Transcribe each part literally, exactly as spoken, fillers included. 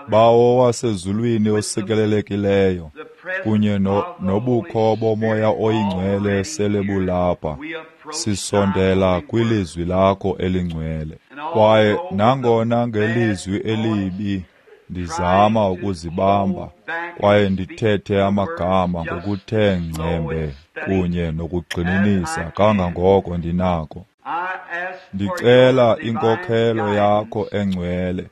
Bawo wasezulwini osikelelekileyo, kunye no, nobukho boMoya oyiNgcwele sele bulapha, sisondela kwilizwi lakho elingcwele. Kwaye nangona ngelizwi elibi ndizama ukuzibamba kwaye ndithethe amagama ngokuthe ngcembe kunye nokugxininisa kangangoko ndinako, ndicela inkokhelo yakho engcwele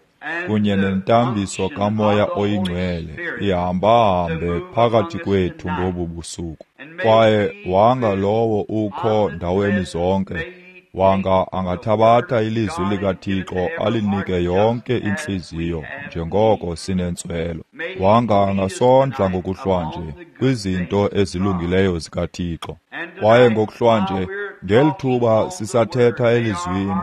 kunye nentambiso kaMoya oyiNgcwele ihambahambe phakathi kwethu ngobu busuku. Kwaye wanga lowo ukho ndaweni zonke, wanga angathabatha ilizwi likaThixo alinike yonke intliziyo njengoko sinentswelo. Wanga angasondla ngokuhlwanje kwizinto ezilungileyo zikaThixo. Kwaye ngokuhlwanje, ngeli thuba sisathetha elizwini,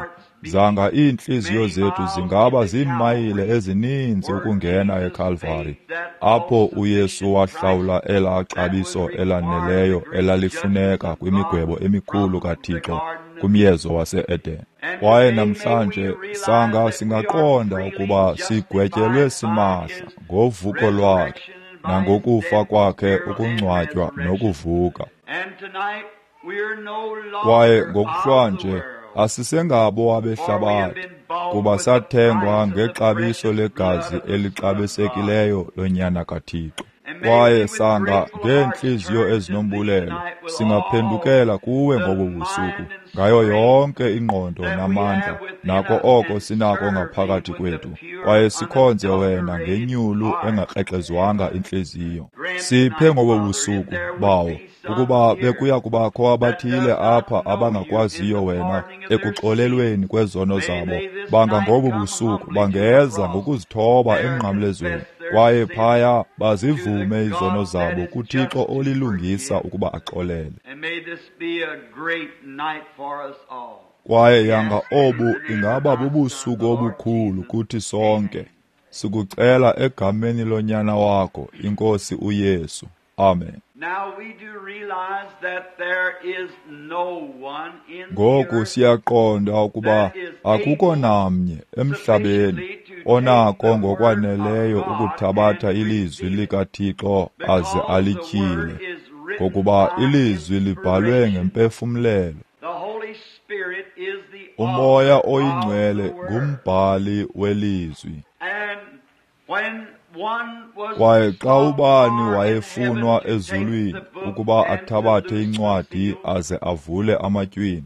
zanga iintliziyo zethu zingaba ziimayile ezininzi ukungena eKalvari, apho uYesu wahlawula elaa xabiso elaneleyo elalifuneka kwimigwebo emikhulu kaThixo kumyezo wase-Eden. Kwaye namhlanje sanga singaqonda ukuba sigwetyelwe simahla ngovuko lwakhe nangokufa kwakhe, ukungcwatywa nokuvuka. Kwaye ngokuhlwanje asisengabo abehlabathi, kuba sathengwa ngexabiso legazi elixabisekileyo loNyana kaThixo. Kwaye sanga ngeentliziyo ezinombulelo singaphendukela kuwe ngobu busuku ngayo yonke ingqondo namandla nako oko sinako ngaphakathi kwethu, kwaye sikhonze wena ngenyulu engakrexezwanga intliziyo. Siphe ngobu busuku, Bawo, ukuba bekuya kubakho abathile apha abangakwaziyo wena ekuxolelweni kwezono zabo, banga ngobu busuku bangeza ngokuzithoba emnqamlezweni, kwaye phaya bazivume izono zabo kuThixo olilungisa ukuba axolele. Kwaye yanga obu ingaba bubusuku obukhulu kuthi sonke. Sikucela egameni loNyana wakho, iNkosi uYesu. Amen. Ngoku siyaqonda ukuba akukho namnye emhlabeni onako ngokwaneleyo ukuthabatha ilizwi likaThixo aze alityhile, ngokuba ilizwi libhalwe ngempefumlelo. UMoya oyiNgcwele ngumbhali welizwi. Kwaye xa ubani wayefunwa ezulwini ukuba athabathe incwadi aze avule amatywina,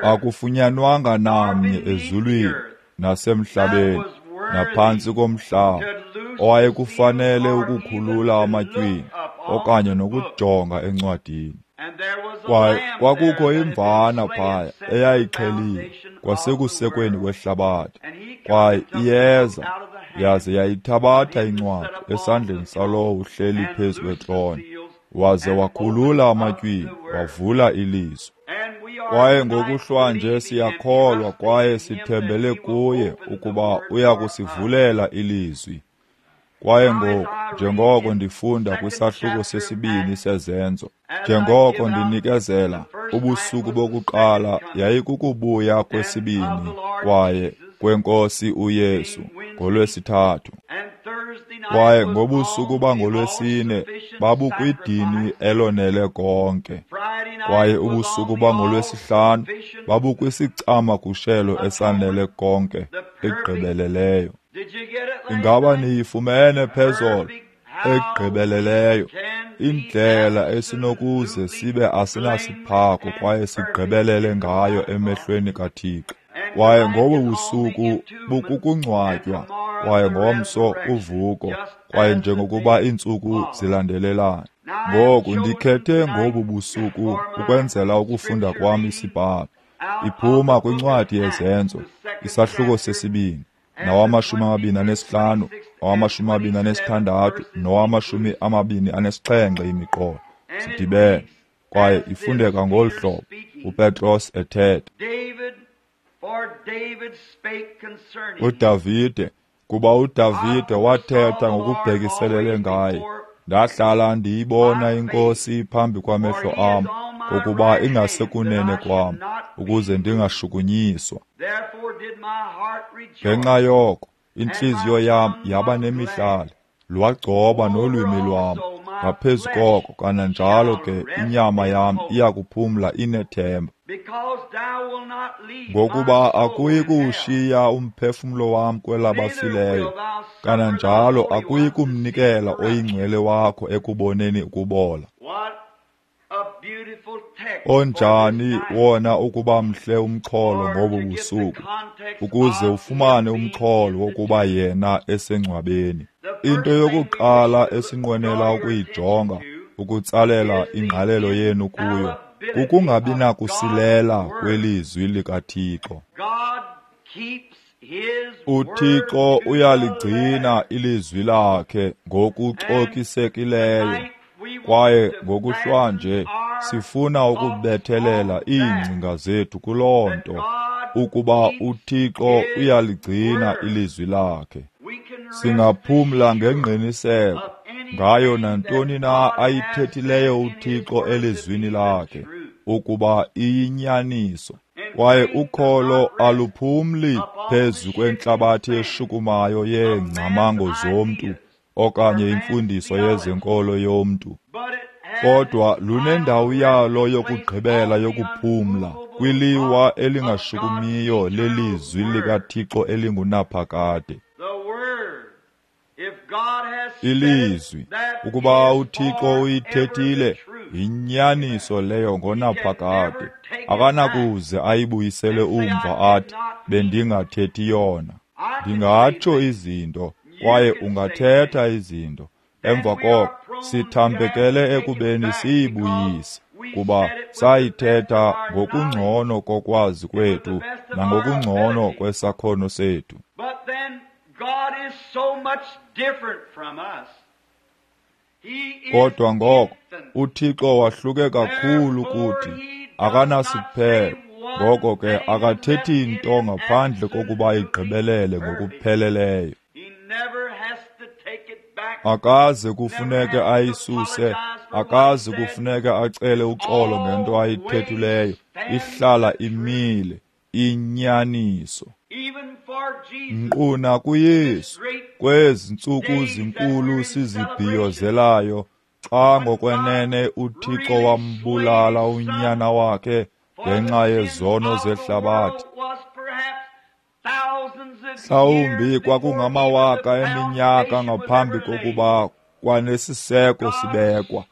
akufunyanwanga namnye ezulwini nasemhlabeni naphantsi komhlaba owayekufanele ukukhulula amatywina okanye nokujonga encwadini. Kwaye kwakukho imvana phaya eyayixheliwe kwasekusekweni kwehlabathi, kwaye iyeza yaze yayithabatha incwadi esandleni salowo uhleli phezu kwetrone, waze wakhulula amatywina wavula ilizwi. Kwaye ngokuhlwanje siyakholwa kwaye sithembele kuye ukuba uya kusivulela ilizwi. Kwaye ngoku, njengoko ndifunda kwisahluko sesibini seZenzo, njengoko ndinikezela, ubusuku bokuqala yayikukubuya kwesibini kwaye kweNkosi uYesu ngolwesithathu. Kwaye ngobusuku bangolwesine babukwidini elonele konke. Kwaye ubusuku bangolwesihlanu babukwisicamagushelo esanele konke egqibeleleyo. Ingaba niyifumene phezolo egqibeleleyo indlela esinokuze sibe asinasiphako kwaye sigqibelele ngayo emehlweni kaThixo. Kwaye ngobu busuku bukukungcwatywa, kwaye ngomso uvuko, kwaye njengokuba iintsuku zilandelelana. Ngoku ndikhethe ngobu busuku ukwenzela ukufunda kwam isibhalo. Iphuma kwincwadi yeZenzo, isahluko sesibini, nawamashumi amabini anesihlanu, nawamashumi amabini anesithandathu, nawamashumi amabini anesixhenxe imiqolo. Sidibene, kwaye ifundeka ngolu hlobo, uPetros ethetha. UDavide, kuba uDavide wathetha ngokubhekiselele ngaye, ndahlala ndiyibona iNkosi phambi kwamehlo am, ngokuba ingasekunene kwam, ukuze ndingashukunyiswa. Ngenxa yoko intliziyo yam yaba nemihlali, lwagcoba nolwimi lwam. Ngaphezu koko kananjalo ke inyama yam iya kuphumla inethemba. Ngokuba akuyi kuwushiya umphefumlo wam kwelabafileyo, kananjalo akuyi kumnikela oyingcwele wakho ekuboneni ukubola. Onjani wona ukuba mhle umxholo ngobu busuku, ukuze ufumane umxholo wokuba yena esengcwabeni. Into yokuqala esinqwenela ukuyijonga, ukutsalela ingqalelo yenu kuyo, kukungabi nakusilela kwelizwi likaThixo. UThixo uyaligcina ilizwi lakhe ngokucokisekileyo, kwaye ngokuhlwanje sifuna ukubethelela iingcinga zethu kuloo nto, ukuba uThixo uyaligcina ilizwi lakhe. Singaphumla ngengqiniseko ngayo nantoni na ayithethileyo uThixo elizwini lakhe, ukuba iyinyaniso. Kwaye ukholo aluphumli phezu kwentlabathi eshukumayo yeengcamango zomntu okanye imfundiso yezenkolo yomntu, kodwa lunendawo yalo yokugqibela yokuphumla kwiliwa elingashukumiyo lelizwi likaThixo elingunaphakade. Ilizwi, ukuba uThixo uyithethile, yinyaniso leyo ngonaphakade. Akanakuze ayibuyisele umva athi, bendingathethi yona. Ndingatsho izinto, kwaye ungathetha izinto. Emva koko sithambekele ekubeni siyibuyise, kuba sayithetha ngokungcono kokwazi kwethu nangokungcono kwesakhono sethu. Kodwa ngoko uThixo wahluke kakhulu kuthi, akanasiphelo. Ngoko ke akathethi nto ngaphandle kokuba igqibelele ngokupheleleyo. Akaze kufuneke ayisuse, akaze kufuneke acele uxolo ngento ayithethileyo. Ihlala imile, inyaniso. Nkqu nakuYesu, kwezi ntsuku zinkulu sizibhiyozelayo, xa ngokwenene uThixo wambulala unyana wakhe ngenxa yezono zehlabathi, mhlawumbi kwakungamawaka eminyaka ngaphambi kokuba kwanesiseko sibekwa,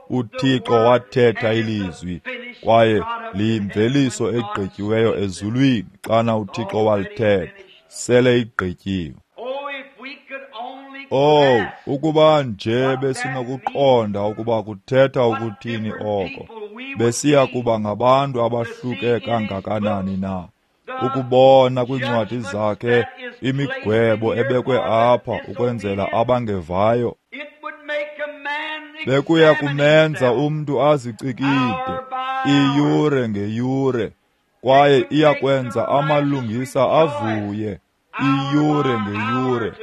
uThixo wathetha ilizwi, kwaye liyimveliso egqityiweyo ezulwini. Xana uThixo walithetha, sele igqityiwe. Oh, ukuba nje besinokuqonda ukuba kuthetha ukuthini oko, besiya kuba ngabantu abahluke kangakanani na, ukubona kwiincwadi zakhe imigwebo ebekwe apha ukwenzela abangevayo. Bekuya kumenza umntu azicikide iyure ngeyure, kwaye iyakwenza amalungisa avuye iyure ngeyure,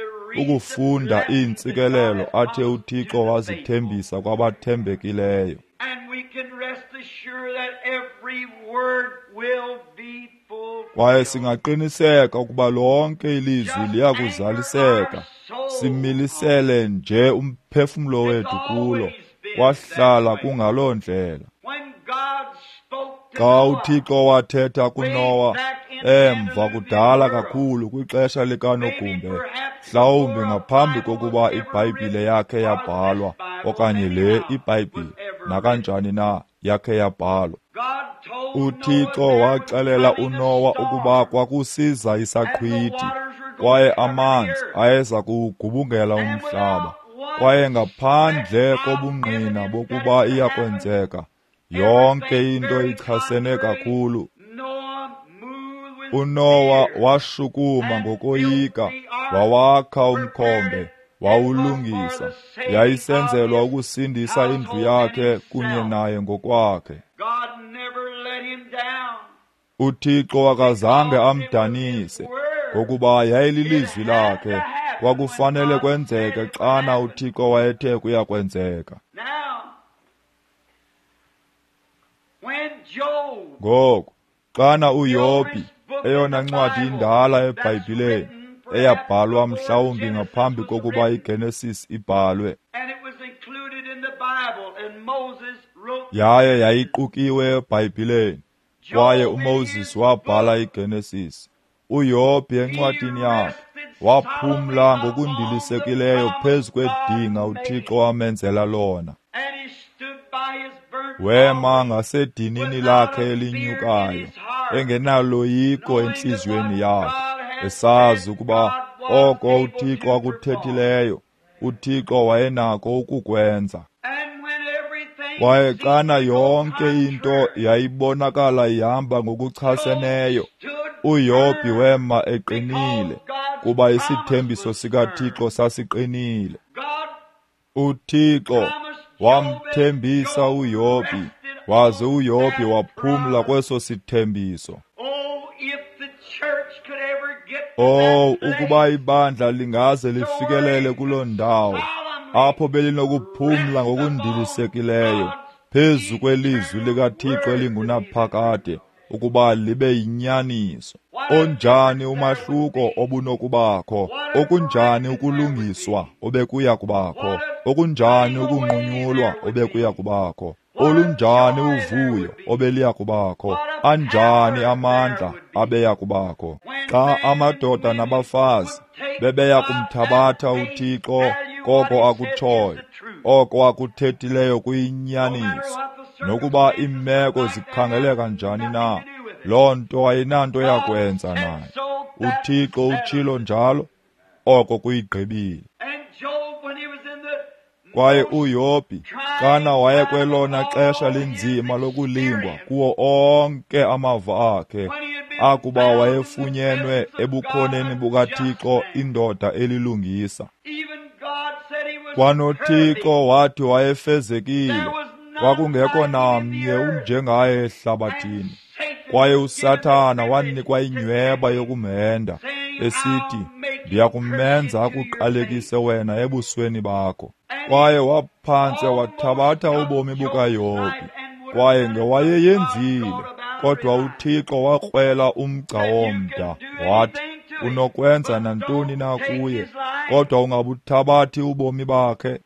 ukufunda iintsikelelo athe uThixo wazithembisa kwabathembekileyo. Kwaye singaqiniseka ukuba lonke ilizwi liyakuzaliseka. Similisele nje umphefumlo wethu kulo, kwahlala kungaloo ndlela. Xa uThixo wathetha kuNowa emva kudala kakhulu kwixesha likaNogumbe, mhlawumbi ngaphambi kokuba iBhayibhile yakhe yabhalwa, okanye le iBhayibhile nakanjani na yakhe yabhalwa, uThixo waxelela uNowa ukuba kwakusiza isaqhwithi, kwaye amanzi ayeza kuwugubungela umhlaba, kwaye ngaphandle kobungqina bokuba iyakwenzeka, yonke into ichasene kakhulu. uNowa washukuma ngokoyika, wawakha umkhombe, wawulungisa. Yayisenzelwa ukusindisa indlu yakhe kunye naye ngokwakhe. uThixo akazange amdanise, ngokuba yayililizwi lakhe. Kwakufanele kwenzeke xana uThixo wayethe kuyakwenzeka. Ngoku, xana uYobhi, eyona ncwadi indala eBhayibhileni, eyabhalwa mhlawumbi ngaphambi kokuba iGenesis ibhalwe, yaye yayiqukiwe eBhayibhileni, kwaye uMoses wabhala iGenesis. uYobhi encwadini yakhe waphumla ngokundilisekileyo phezu kwedinga uThixo amenzela lona. Wema ngasedinini lakhe elinyukayo, engenaloyiko entliziyweni yakhe, esazi ukuba oko uThixo akuthethileyo, uThixo wayenako ukukwenza. Kwaye xana yonke into yayibonakala ihamba ngokuchaseneyo, uYobhi wema eqinile, kuba isithembiso sikaThixo sasiqinile. UThixo wamthembisa uYobhi, waze uYobhi waphumla kweso sithembiso. Oh, ukuba ibandla lingaze lifikelele kuloo ndawo, apho belinokuphumla ngokundilisekileyo phezu kwelizwi likaThixo elingunaphakade, ukuba libe yinyaniso. Onjani umahluko obunokubakho, okunjani ukulungiswa obekuya kubakho, okunjani ukunqunyulwa obekuya kubakho, olunjani uvuyo obeliya kubakho, anjani amandla abeya kubakho, xa amadoda nabafazi bebeya kumthabatha uThixo koko akutshoyo, oko akuthethileyo kuyinyaniso, nokuba iimeko zikhangeleka njani na, loo nto ayinanto yakwenza nayo. UThixo utshilo njalo, oko kuyigqibile. Kwaye uYobhi, xana wayekwelona xesha linzima lokulingwa kuwo onke amava akhe, akuba wayefunyenwe ebukhoneni bukaThixo indoda elilungisa, kwanoThixo wathi wayefezekile, kwakungekho namnye unjengaye ehlabathini. Kwaye uSathana wanikwa inyweba yokumhenda, esithi, ndiyakumenza akuqalekise wena ebusweni bakho. Kwaye waphantse wathabatha ubomi bukaYobhi, kwaye ngewayeyenzile, kodwa uThixo wakrwela umgca womda, wathi, unokwenza nantoni na kuye, kodwa ungabuthabathi ubomi bakhe.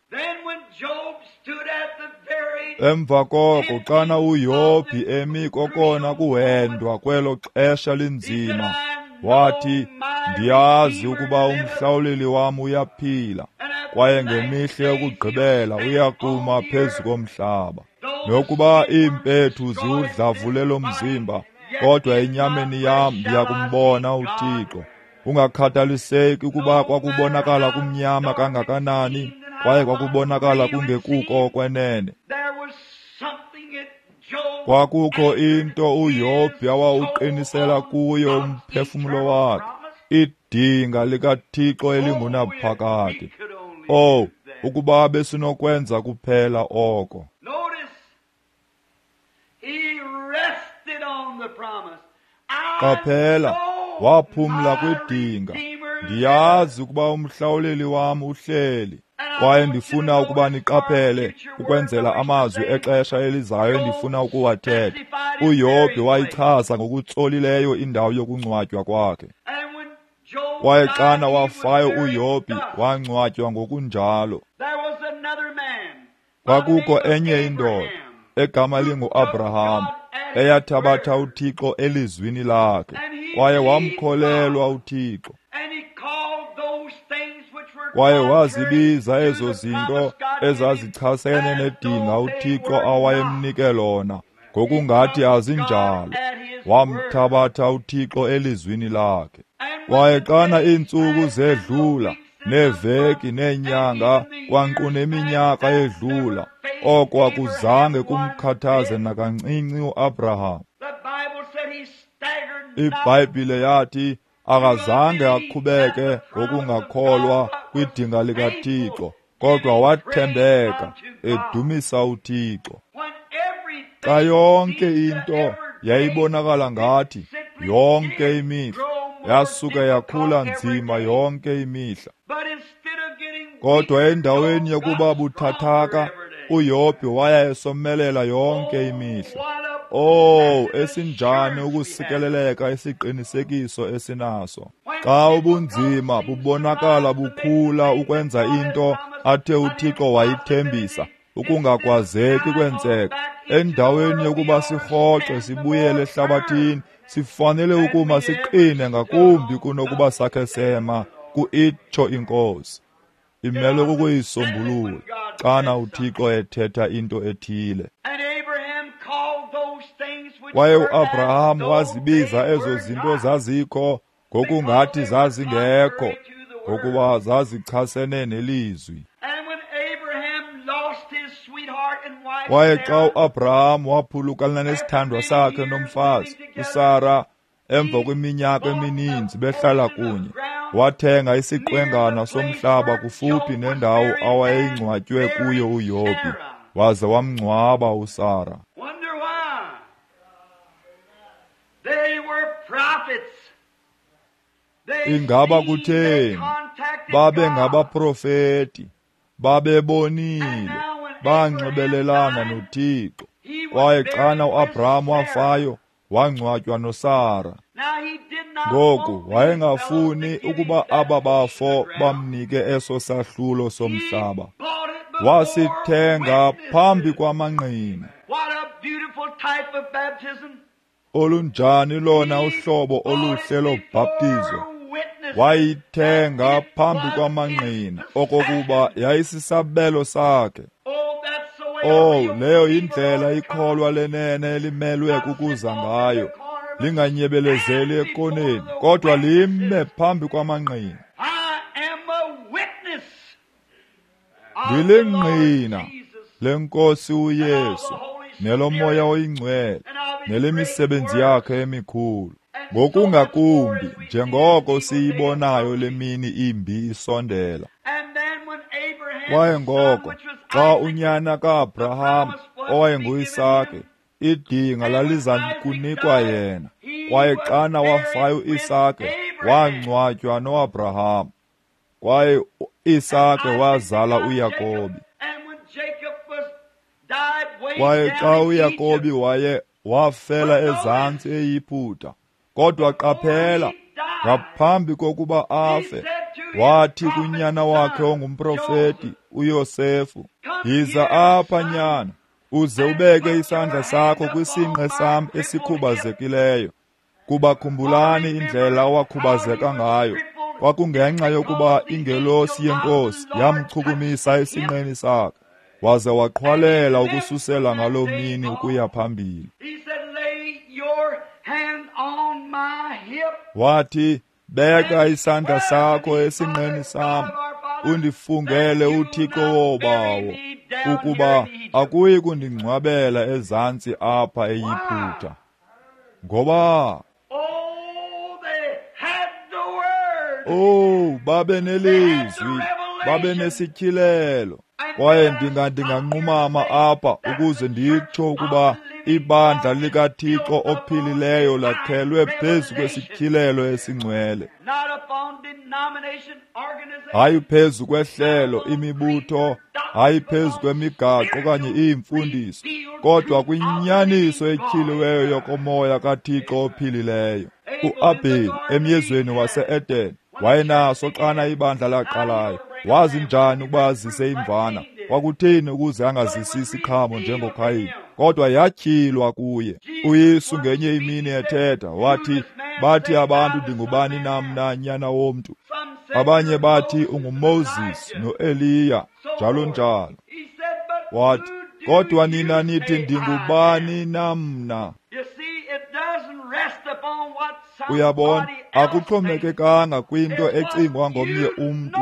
Emva koko, xana uYobhi emi kokona kuhendwa kwelo xesha linzima, wathi, ndiyazi ukuba umhlawuleli wam uyaphila, kwaye ngemihla yokugqibela uyakuma phezu komhlaba. Nokuba iimpethu ziwudlavule lo mzimba, kodwa enyameni yam ndiyakumbona uThixo. Ungakhathaliseki ukuba kwakubonakala kumnyama kangakanani, kwaye kwakubonakala kungekuko okwenene, kwakukho into uYobhi awawuqinisela kuyo umphefumlo wakhe, idinga likaThixo elingunaphakade. Oh, ukuba besinokwenza kuphela oko. Qaphela, waphumla kwidinga. Ndiyazi ukuba umhlawuleli wam uhleli. Kwaye ndifuna ukuba niqaphele ukwenzela amazwi exesha elizayo endifuna ukuwathetha. uYobhi wayichaza ngokutsolileyo indawo yokungcwatywa kwakhe. Kwaye xana wafayo uYobhi, wangcwatywa ngokunjalo. Kwakukho enye indoda egama linguAbraham, eyathabatha uThixo elizwini lakhe, kwaye wamkholelwa uThixo. Kwaye wazibiza ezo zinto ezazichasene nedinga uThixo awayemnike lona, ngokungathi azinjalo. Wamthabatha uThixo elizwini lakhe. Kwaye xana iintsuku zedlula, neeveki neenyanga, kwanqu neminyaka edlula, oko akuzange kumkhathaze nakancinci uAbraham. IBhayibhile yathi akazange aqhubeke ngokungakholwa kwidinga likaThixo, kodwa wathembeka edumisa uThixo. Xa yonke into yayibonakala ngathi yonke imihla yasuka yakhula nzima yonke imihla, kodwa endaweni yokuba buthathaka, uYobhi waya esomelela yonke imihla. Oh, esinjani ukusikeleleka isiqinisekiso esinaso. Xa ubunzima bubonakala bukhula ukwenza into athe uThixo wayithembisa, ukungakwazeki kwenzeka. Endaweni yokuba sirhoxe sibuyele ehlabathini, sifanele ukuma siqine ngakumbi kunokuba sakhe sema ku-itsho iNkosi. Imelwe kukuyisombulula xana uThixo ethetha into ethile. Kwaye uAbraham wazibiza ezo zinto zazikho ngokungathi zazingekho, ngokuba zazichasene nelizwi. Kwaye xa uAbraham waphulukana nesithandwa sakhe nomfazi uSara emva kweminyaka emininzi behlala kunye, wathenga isiqwengana somhlaba kufuphi nendawo awayengcwatywe kuyo uYobhi, waze wamngcwaba uSara. Ingaba kutheni? Babe ngabaprofeti, babebonile, banxibelelana noThixo. Kwaye xana uAbraham wafayo, wangcwatywa noSara. Ngoku wayengafuni ukuba aba bafo bamnike eso sahlulo somhlaba. Wasithenga phambi kwamangqina. Olunjani lona uhlobo oluhle lobhaptizo! Wayithenga phambi kwamangqina okokuba yayisisabelo sakhe. Oh, leyo yindlela ikholwa lenene elimelwe kukuza ngayo, linganyebelezeli ekoneni, kodwa lime phambi kwamangqina. Ndilingqina leNkosi uYesu neloMoya oyiNgcwele nelemisebenzi yakhe emikhulu, ngokungakumbi njengoko siyibonayo le mini imbi isondela. Kwaye ngoko xa unyana kaAbraham owayenguIsake, idinga laliza kunikwa yena. Kwaye xana wafayo uIsake, wangcwatywa noAbraham. Kwaye uIsake wazala uYakobi. Kwaye xa uYakobi waye wafela ezantsi eYiputa, kodwa qaphela, ngaphambi kokuba afe, wathi kunyana wakhe ongumprofeti uYosefu, "Yiza apha nyana, uze ubeke isandla sakho kwisinqe sam esikhubazekileyo." Kuba khumbulani indlela owakhubazeka ngayo. Kwakungenxa yokuba ingelosi yeNkosi yamchukumisa esinqeni sakhe, waze waqhwalela ukususela ngaloo mini ukuya phambili. Wathi, "Beka isandla sakho esinqeni sam, undifungele uThixo wobawo, ukuba akuyi kundingcwabela ezantsi apha eYiputa." Ngoba oh, babe nelizwi, babe nesityhilelo. Kwaye ndinga ndinganqumama apha ukuze nditsho ukuba ibandla likaThixo ophilileyo lakhelwe phezu kwesityhilelo esingcwele, hayi phezu kwehlelo, imibutho, hayi phezu kwemigaqo okanye iimfundiso, kodwa kwinyaniso etyhiliweyo yokomoya kaThixo ophilileyo. UAbheli emyezweni wase-Eden wayenaso xana ibandla laqalayo. Wazi njani ukuba azise imvana? Kwakutheni ukuze angazisi isiqhamo njengoKhayini? Kodwa yatyhilwa kuye. uYesu ngenye imini ethetha wathi, "Bathi abantu ndingubani na mna, nyana womntu? Abanye bathi unguMoses noEliya, njalo njalo." Wathi, "Kodwa nina nithi ndingubani na mna?" Uyabona, akuxhomekekanga kwinto ecingwa ngomnye umntu,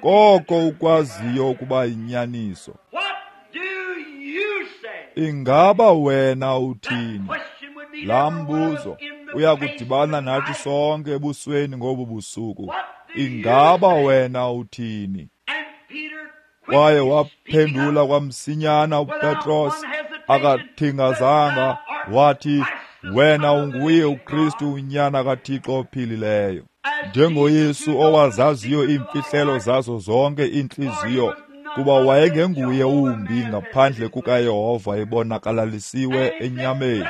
koko ukwaziyo ukuba yinyaniso. Ingaba wena uthini? Laa mbuzo uyakudibana nathi sonke ebusweni ngobu busuku. Ingaba wena uthini? Kwaye waphendula kwamsinyana uPetros, akathingazanga, wathi, "Wena unguye uKristu, unyana kaThixo ophilileyo." NjengoYesu owazaziyo iimfihlelo zazo zonke iintliziyo, kuba wayengenguye umbi ngaphandle kukaYehova ebonakalalisiwe enyameni.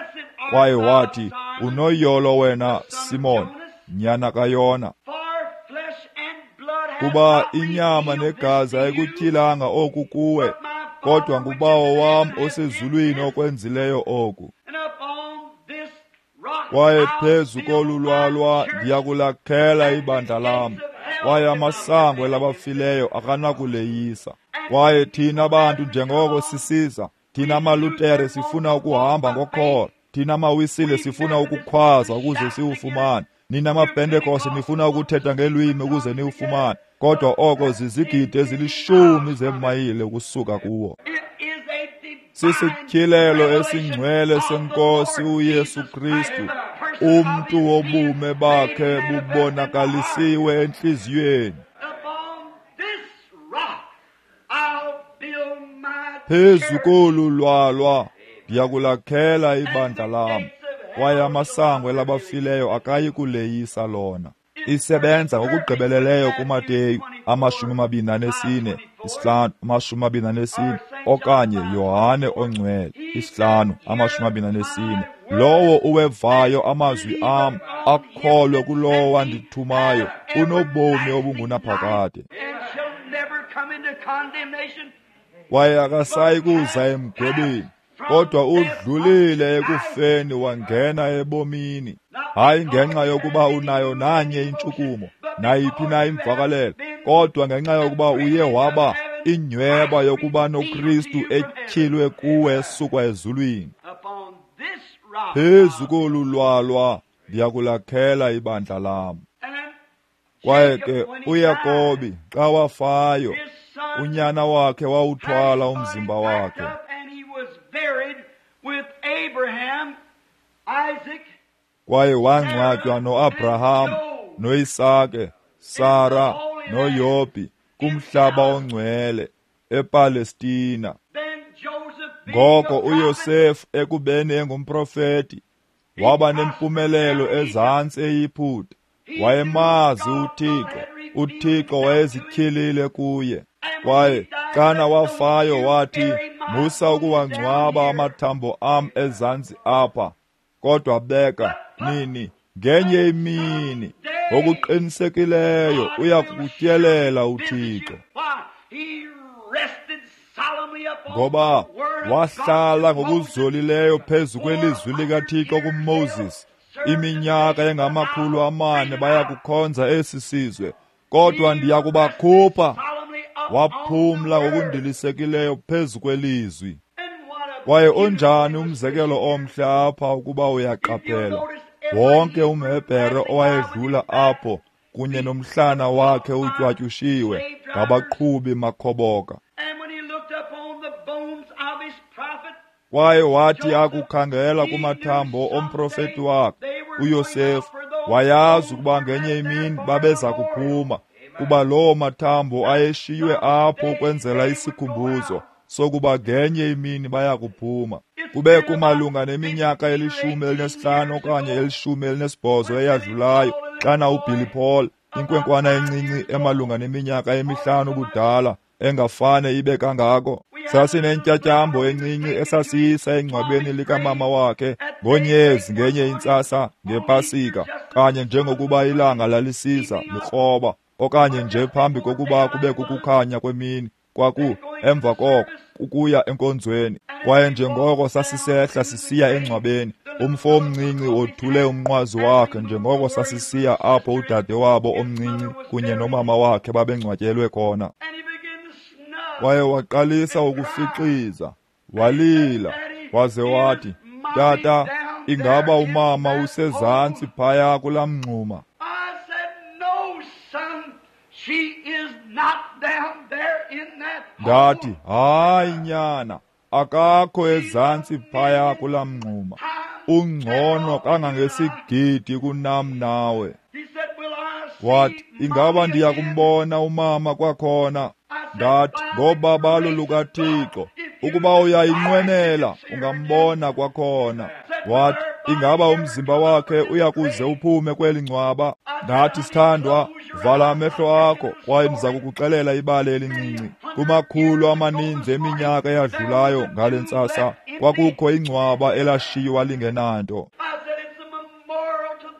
Kwaye wathi, unoyolo wena, Simon, nyana kaYona, kuba inyama negazi ayikutyhilanga oku kuwe, kodwa nguBawo wam osezulwini okwenzileyo oku. Kwaye phezu kolu lwalwa ndiyakulakhela ibandla lam, kwaye amasango elabafileyo akanakuleyisa. Kwaye thina bantu njengoko sisiza, thina maLutere sifuna ukuhamba ngokholo, thina maWisile sifuna ukukhwaza ukuze siwufumane, nina maPentekoste nifuna ukuthetha ngelwimi ukuze niwufumane, kodwa oko zizigidi ezilishumi zeemayile ukusuka kuwo. Sisityhilelo esingcwele seNkosi uYesu Kristu, umntu wobume bakhe bubonakalisiwe entliziyweni. Phezu kolu lwalwa ndiyakulakhela ibandla lam, kwaye amasango elabafileyo akayi kuleyisa lona. Isebenza ngokugqibeleleyo kuMateyu amashumi amabini anesine isihlanu amashumi amabini anesine okanye Yohane ongcwele isihlanu amashumi amabini anesine. Lowo uwevayo amazwi am akholwe kulowo wandithumayo unobomi obungunaphakade, kwaye akasayi kuza emgwebeni, kodwa udlulile ekufeni wangena ebomini. Hayi ngenxa yokuba unayo nanye intshukumo, nayiphi na imvakalelo, kodwa ngenxa yokuba uye waba inyweba yokuba noKristu etyhilwe kuwe esukwa ezulwini. Phezu kolu lwalwa ndiyakulakhela ibandla lam. Kwaye ke uYakobi xa wafayo, unyana wakhe wawuthwala umzimba wakhe. Kwaye wangcwatywa noAbraham, noIsake, Sara, noYobhi kumhlaba ongcwele ePalestina. Ngoko uYosefu ekubeni engumprofeti waba nempumelelo ezantsi eYiputa. Wayemazi uThixo, uThixo wayezityhilile kuye. Kwaye xana wafayo wathi, musa ukuwangcwaba amathambo am ezantsi apha, kodwa beka nini ngenye imini ngokuqinisekileyo uyakutyelela uThixo. Ngoba wahlala ngokuzolileyo phezu kwelizwi likaThixo kuMoses, iminyaka engamakhulu amane bayakukhonza esi sizwe, kodwa ndiyakubakhupha. Waphumla ngokundilisekileyo phezu kwelizwi. Kwaye onjani umzekelo omhle apha ukuba uyaqaphela. Wonke umHebhere owayedlula apho kunye nomhlana wakhe utywatyushiwe ngabaqhubi makhoboka. Kwaye wathi akukhangela kumathambo omprofeti wakhe uYosefu, wayazi ukuba ngenye imini babeza kuphuma, kuba loo mathambo ayeshiywe apho ukwenzela isikhumbuzo sokuba ngenye imini bayakuphuma. Kube kumalunga neminyaka elishumi elinesihlanu okanye elishumi elinesibhozo eyadlulayo, xana uBilly Paul, inkwenkwana encinci emalunga neminyaka emihlanu ubudala, engafane ibe kangako, sasinentyatyambo encinci esasiyisa engcwabeni likamama wakhe ngonyezi ngenye intsasa ngePasika, kanye njengokuba ilanga lalisiza likroba, okanye nje phambi kokuba kube kukukhanya kwemini, kwaku emva koko ukuya enkonzweni. Kwaye njengoko sasisehla sisiya engcwabeni, umfo omncinci wothule umnqwazi wakhe njengoko sasisiya apho udade wabo omncinci kunye nomama wakhe babengcwatyelwe khona. Kwaye waqalisa ukufixiza, walila, waze wathi, Tata, ingaba umama usezantsi phaya kulaa mngxuma? Ndathi, hayi nyana, akakho ezantsi phaya kulaa mngxuma. Ungcono kangangesigidi kunam nawe. Wathi, ingaba ndiya kumbona umama kwakhona? Ndathi, ngobabalo lukaThixo, ukuba uyayinqwenela ungambona kwakhona. Wathi, Ingaba umzimba wakhe uyakuze uphume kweli ngcwaba? Ndathi, sithandwa, vala amehlo akho kwaye ndiza kukuxelela ibali elincinci. Kumakhulu amaninzi eminyaka eyadlulayo ngale ntsasa kwakukho ingcwaba elashiywa lingenanto.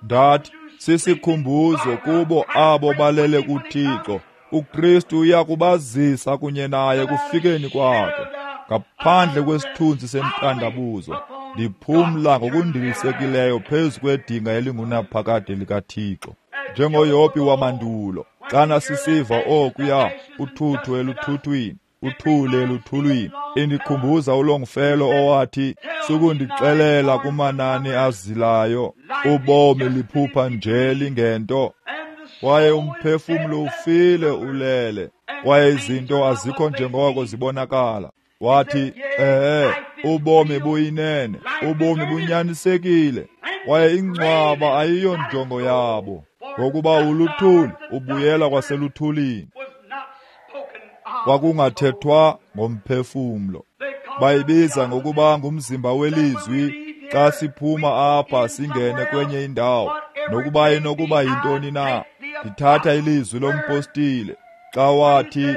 Ndathi, sisikhumbuzo kubo abo balele kuThixo. uKristu uyakubazisa kunye naye kufikeni kwakhe. Ngaphandle kwesithunzi sentandabuzo, ndiphumla ngokundilisekileyo phezu kwedinga elingunaphakade likaThixo. NjengoYobhi wamandulo, xana sisiva okuya uthuthu eluthuthwini, uthule eluthulwini, indikhumbuza uLongfellow owathi, sukundixelela kumanani azilayo, ubomi liphupha nje lingento, kwaye umphefumlo ufile ulele, kwaye izinto azikho njengoko zibonakala. Wathi, ehe, ubomi buyinene, ubomi bunyanisekile, kwaye ingcwaba ayiyo njongo yabo, ngokuba uluthuli ubuyela kwaseluthulini. Kwakungathethwa ngomphefumlo. Bayibiza ngokuba ngumzimba welizwi xa siphuma apha singene kwenye indawo, nokuba inokuba yintoni na. Ndithatha ilizwi lompostile xa wathi,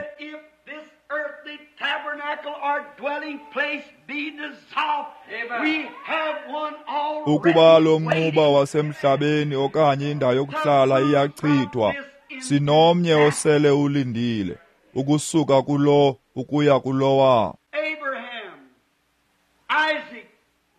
ukuba lo mnquba wasemhlabeni okanye indawo yokuhlala iyachithwa, sinomnye osele ulindile ukusuka kulo ukuya kulowa.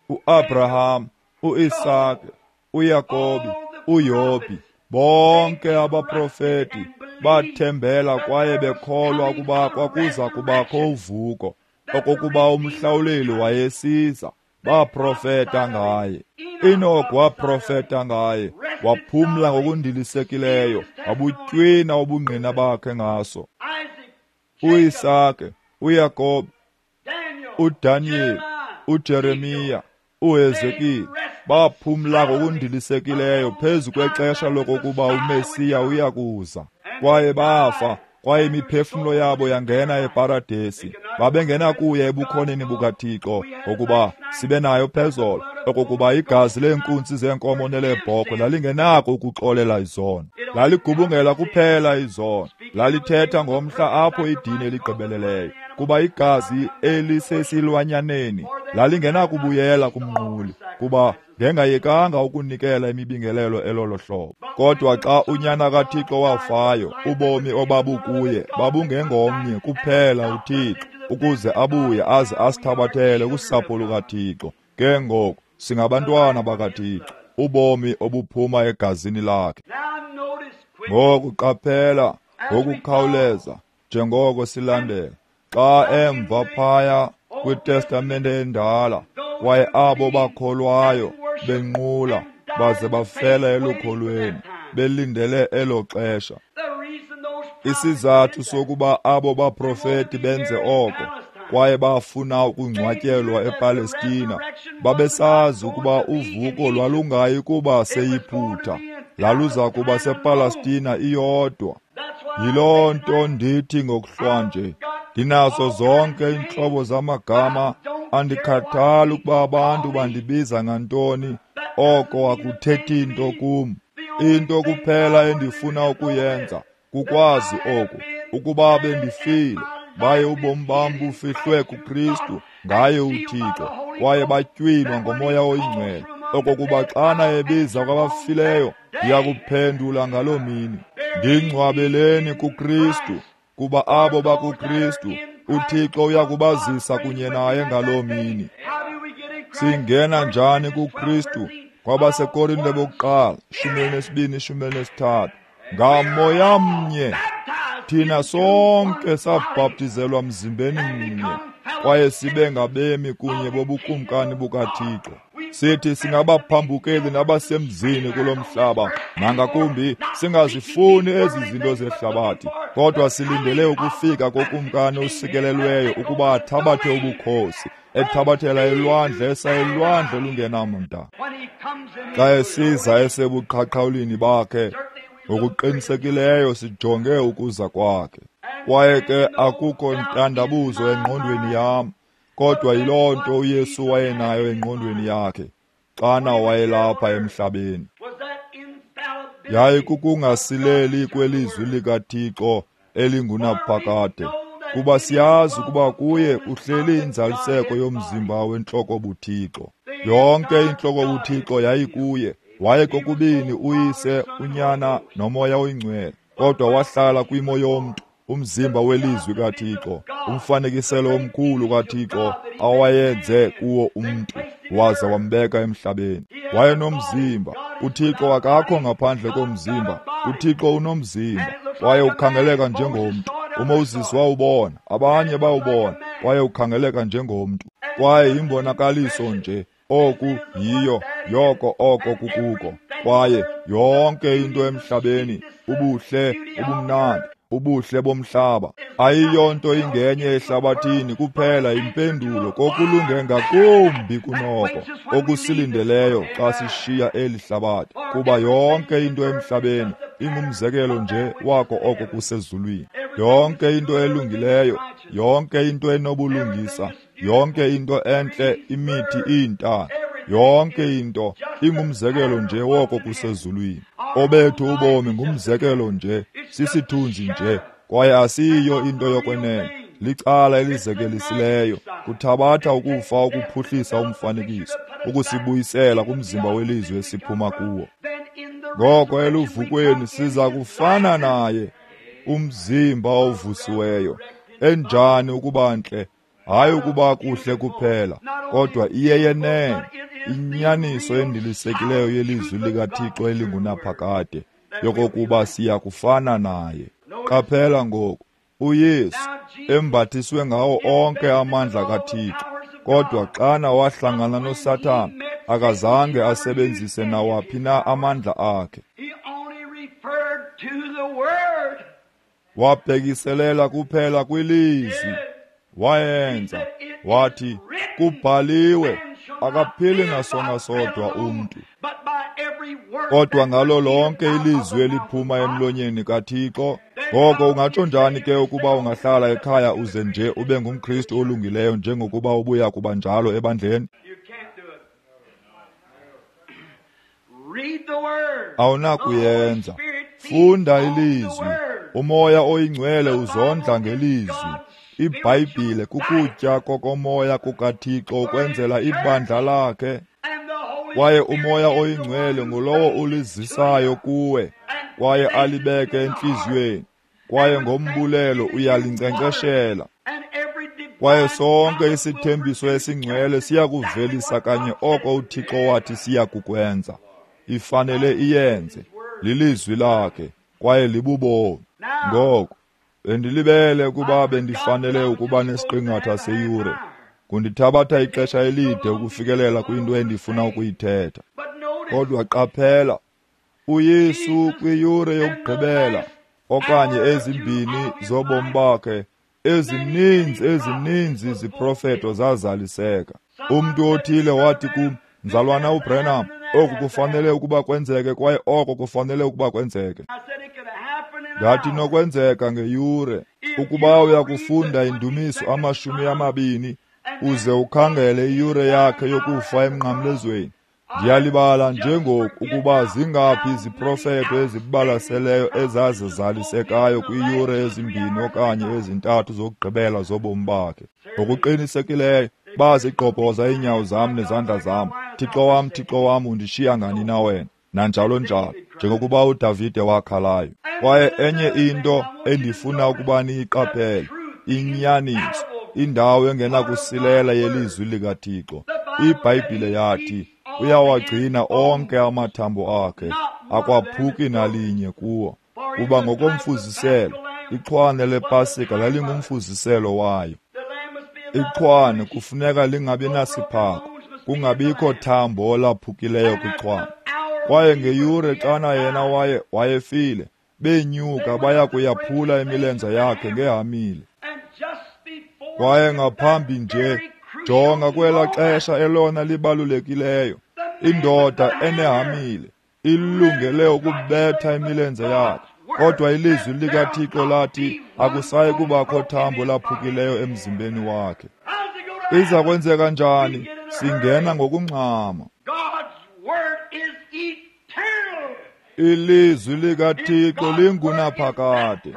uAbraham, uIsake, uYakobi, uYobhi, bonke abaprofeti bathembela kwaye bekholwa ukuba kwakuza kubakho uvuko, okokuba umhlawuleli wayesiza. Baprofeta ngaye. Enoch waprofeta ngaye, waphumla ngokundilisekileyo, wabutywina ubungqina bakhe ngaso. uIsake, uYakobi, uDaniel, uJeremiya, uHezekile baphumla ngokundilisekileyo phezu kwexesha lokokuba uMesiya uyakuza. Kwaye bafa, kwaye imiphefumlo yabo yangena eparadesi. Babengenakuya ebukhoneni bukaThixo, ngokuba sibe nayo phezolo, okokuba igazi leenkunzi zeenkomo neleebhokhwe lalingenako ukuxolela izono. Laligubungela kuphela izono. Lalithetha ngomhla apho idini eligqibeleleyo, kuba igazi elisesilwanyaneni lalingenakubuyela kumnquli, kuba ngengayekanga ukunikela imibingelelo elolo hlobo. Kodwa xa unyana kaThixo wafayo, ubomi obabukuye babungengomnye kuphela uThixo, ukuze abuye aze asithabathele kusapho lukaThixo. Ke ngoku singabantwana bakaThixo, ubomi obuphuma egazini lakhe. Ngoku qaphela ngokukhawuleza njengoko silandela, xa emva phaya kwiTestamente endala, kwaye abo bakholwayo benqula baze bafela elukholweni belindele elo xesha. Isizathu sokuba abo baprofeti benze oko, kwaye bafuna ukungcwatyelwa ePalestina, babesazi ukuba uvuko lwalungayi kuba seYiphutha, laluza kuba sePalestina iyodwa. Yiloo nto ndithi ngokuhlwanje, ndinazo zonke iintlobo zamagama, andikhathali ukuba abantu bandibiza ngantoni, oko akuthethi nto kum. Into kuphela endifuna ukuyenza kukwazi oku, ukuba bendifile, baye ubomi bam bufihlwe kuKristu ngaye uThixo, kwaye batywinwa ngoMoya oyiNgcwele, okokuba xana ebiza kwabafileyo, ndiyakuphendula ngaloo mini. Ndingcwabeleni kuKristu, kuba abo bakuKristu uThixo uyakubazisa kunye naye ngaloo mini. Singena njani kuKristu? KwabaseKorinte bokuqala shumi elinesibini shumi elinesithathu, ngamoya mnye thina sonke sabhaptizelwa mzimbeni mnye, kwaye sibe ngabemi kunye bobukumkani bukaThixo. Sithi singabaphambukeli nabasemzini kulo mhlaba, nangakumbi singazifuni ezi zinto zehlabathi, kodwa silindele ukufika kokumkani osikelelweyo ukuba athabathe ubukhosi, ethabathela elwandle esa elwandle olungenamda. Xa esiza esebuqhaqhawulini bakhe, ngokuqinisekileyo sijonge ukuza kwakhe. Kwaye ke akukho ntandabuzo engqondweni yam, kodwa yiloo nto uYesu wayenayo engqondweni yakhe. xana wayelapha emhlabeni. Yayikukungasileli kwelizwi likaThixo elingunaphakade, kuba siyazi ukuba kuye kuhleli inzaliseko yomzimba wentloko buThixo. Yonke intloko buThixo yayikuye. Waye kokubini uYise, uNyana noMoya oyiNgcwele, kodwa wahlala kwimo yomntu, umzimba welizwi kaThixo, umfanekiselo omkhulu kaThixo awayenze kuwo umntu, waza wambeka emhlabeni. Wayenomzimba. UThixo akakho ngaphandle komzimba. UThixo unomzimba, kwaye ukhangeleka njengomntu. uMoses wawubona, abanye bawubona, kwaye ukhangeleka njengomntu. Kwaye yimbonakaliso nje, oku yiyo, yoko oko kukuko. Kwaye yonke into emhlabeni, ubuhle, ubumnandi, ubuhle bomhlaba, ayiyonto ingenye ehlabathini kuphela impendulo kokulunge ngakumbi kunoko okusilindeleyo xa sishiya eli hlabathi, kuba yonke into emhlabeni ingumzekelo nje wako oko kusezulwini. Yonke into elungileyo, yonke into enobulungisa, yonke into entle, imithi, iintaka, yonke into ingumzekelo nje woko kusezulwini. Obethu ubomi ngumzekelo nje, sisithunzi nje, kwaye asiyiyo into yokwenene. Licala elizekelisileyo, kuthabatha ukufa ukuphuhlisa umfanekiso, ukusibuyisela kumzimba welizwe esiphuma kuwo. Ngoko eluvukweni siza kufana naye, umzimba ovusiweyo. Enjani ukuba ntle, hayi ukuba kuhle kuphela, kodwa iyeyenene inyaniso endilisekileyo yelizwi likaThixo elingunaphakade, yokokuba siya kufana naye. Qaphela ngoku, uYesu embathiswe ngawo onke amandla kaThixo, kodwa xana wahlangana noSathana, akazange asebenzise nawaphi na amandla akhe. Wabhekiselela kuphela kwilizwi. Wayenza, wathi, kubhaliwe, akaphili ngasonga sodwa umntu, kodwa ngalo lonke ilizwi eliphuma emlonyeni kaThixo. Ngoko ungatsho njani ke ukuba ungahlala ekhaya uze nje ube ngumKristu olungileyo njengokuba ubuya kuba njalo ebandleni? Awunakuyenza. Funda ilizwi. UMoya oyiNgcwele uzondla ngelizwi. IBhayibhile kukutya kokomoya kukaThixo ukwenzela ibandla lakhe. Kwaye uMoya oyiNgcwele ngulowo ulizisayo kuwe, kwaye alibeke entliziyweni, kwaye ngombulelo uyalinkcenkceshela. Kwaye sonke isithembiso esingcwele siyakuvelisa kanye oko uThixo wathi siyakukwenza. Ifanele iyenze. Lilizwi lakhe, kwaye libubomi. Ngoko bendilibele ukuba bendifanele ukuba nesiqingatha seyure. Kundithabatha ixesha elide ukufikelela kwinto endifuna ukuyithetha. Kodwa qaphela, uYesu kwiyure yokugqibela okanye ezimbini zobomi bakhe, ezininzi ezininzi iziprofeto zazaliseka. Umntu othile wathi kum, Mzalwana uBranham, oku kufanele ukuba kwenzeke kwaye oko kufanele ukuba kwenzeke. Ndathi nokwenzeka ngeyure. Ukuba uyakufunda indumiso amashumi amabini uze ukhangele iyure yakhe yokufa emnqamlezweni, ndiyalibala njengoku ukuba zingaphi iziprofeto ezibalaseleyo ezazizalisekayo kwiiyure ezimbini okanye ezintathu zokugqibela zobomi bakhe. Ngokuqinisekileyo bazigqobhoza iinyawo zam nezandla zam. Thixo wam, Thixo wam, undishiya ngani na wena? Nanjalo njalo, njengokuba uDavide wakhalayo. Kwaye enye into endifuna ukuba niyiqaphele, inyaniso, indawo engenakusilela yelizwi likaThixo. IBhayibhile yathi uyawagcina onke amathambo akhe, akwaphuki nalinye kuwo. Kuba ngokomfuziselo, ixhwane lePasika lalingumfuziselo wayo. Ixhwane kufuneka lingabi nasiphako, kungabikho thambo laphukileyo kwixhwane. Kwaye ngeyure xana yena waye wayefile, benyuka baya kuyaphula imilenze yakhe ngehamile. Kwaye ngaphambi nje, jonga kwela xesha elona libalulekileyo, indoda enehamile ilungele ukubetha imilenze yakhe, kodwa ilizwi likaThixo lathi akusayi kubakho thambo laphukileyo emzimbeni wakhe. Iza kwenzeka njani? Singena ngokungxama. Ilizwi likaThixo lingunaphakade.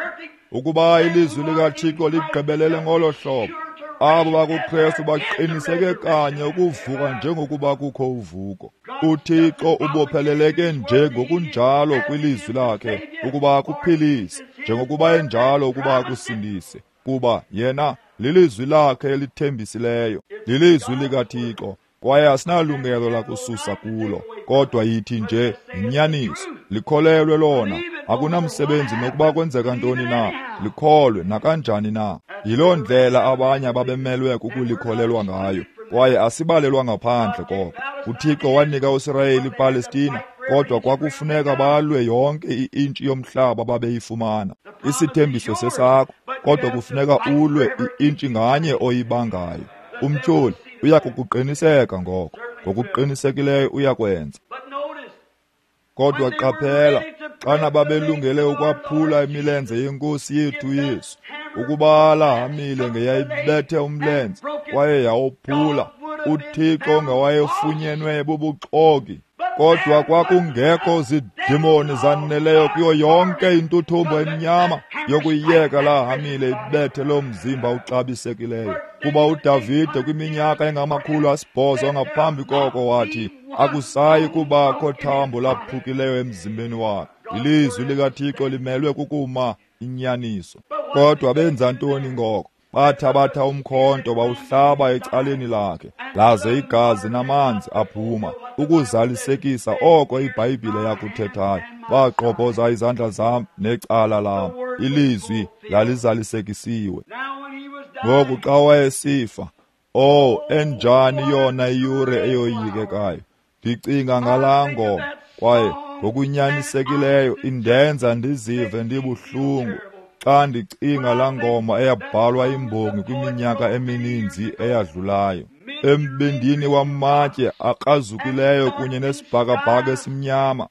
Ukuba ilizwi likaThixo ligqibelele ngolo hlobo, abo bakuKrestu baqiniseke kanye ukuvuka njengokuba kukho uvuko. UThixo ubopheleleke nje ngokunjalo kwilizwi lakhe ukuba akuphilise, njengokuba enjalo ukuba akusindise, kuba yena lilizwi lakhe elithembisileyo, lilizwi likaThixo, kwaye asinalungelo lakususa kulo, kodwa yithi nje yinyaniso, likholelwe lona. Akunamsebenzi nokuba kwenzeka ntoni na, likholwe nakanjani na. Yiloo ndlela abanye ababemelwe kukulikholelwa ngayo, kwaye asibalelwa ngaphandle koko. UThixo wanika uSirayeli iPalestina, kodwa kwakufuneka balwe yonke i-intshi yomhlaba babeyifumana. Isithembiso sesakho, kodwa kufuneka ulwe i-intshi nganye oyibangayo. Umtyholi uya kukuqiniseka ngoko, ngokuqinisekileyo uyakwenza. Kodwa qaphela, xana babelungele ukwaphula imilenze yeNkosi yethu Yesu, ukuba lahamile ngeyayibethe umlenze kwaye yawophula, uThixo ngawayefunyenwe bubuxoki. Kodwa kwakungekho zidimoni zaneleyo kuyo yonke intuthumbo emnyama yokuyiyeka lahamile ibethe lo mzimba uxabisekileyo. Kuba uDavide kwiminyaka engamakhulu asibhozo ngaphambi koko wathi, akusayi kubakho thambo laphukileyo emzimbeni wakhe. Ilizwi likaThixo limelwe kukuma inyaniso. Kodwa benza ntoni ngoko? Bathabatha umkhonto bawuhlaba ecaleni lakhe, laze igazi namanzi aphuma, ukuzalisekisa oko iBhayibhile yakuthethayo. Bagqobhoza izandla zam necala lam. Ilizwi lalizalisekisiwe. Ngoku xa wayesifa, oh, enjani yona iyure eyoyikekayo! Ndicinga ngalaa ngoma, kwaye ngokunyanisekileyo indenza ndizive ndibuhlungu xa ndicinga laa ngoma eyabhalwa imbongi kwiminyaka emininzi eyadlulayo. Embindini wamatye akrazukileyo kunye nesibhakabhaka esimnyama,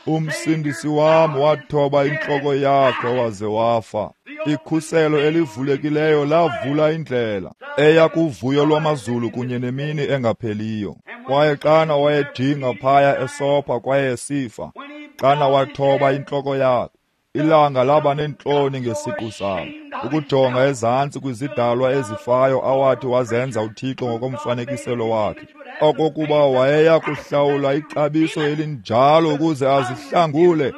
uMsindisi wam wathoba intloko yakhe waze wafa. Ikhuselo elivulekileyo lavula indlela eya kuvuyo lwamazulu kunye nemini engapheliyo. Kwaye xana wayejinga phaya esopha kwaye esifa, xana wathoba intloko yakhe, ilanga laba neentloni ngesiqu salo, ukujonga ezantsi kwizidalwa ezifayo awathi wazenza uThixo ngokomfanekiselo wakhe, okokuba wayeya kuhlawula ixabiso elinjalo ukuze azihlangule.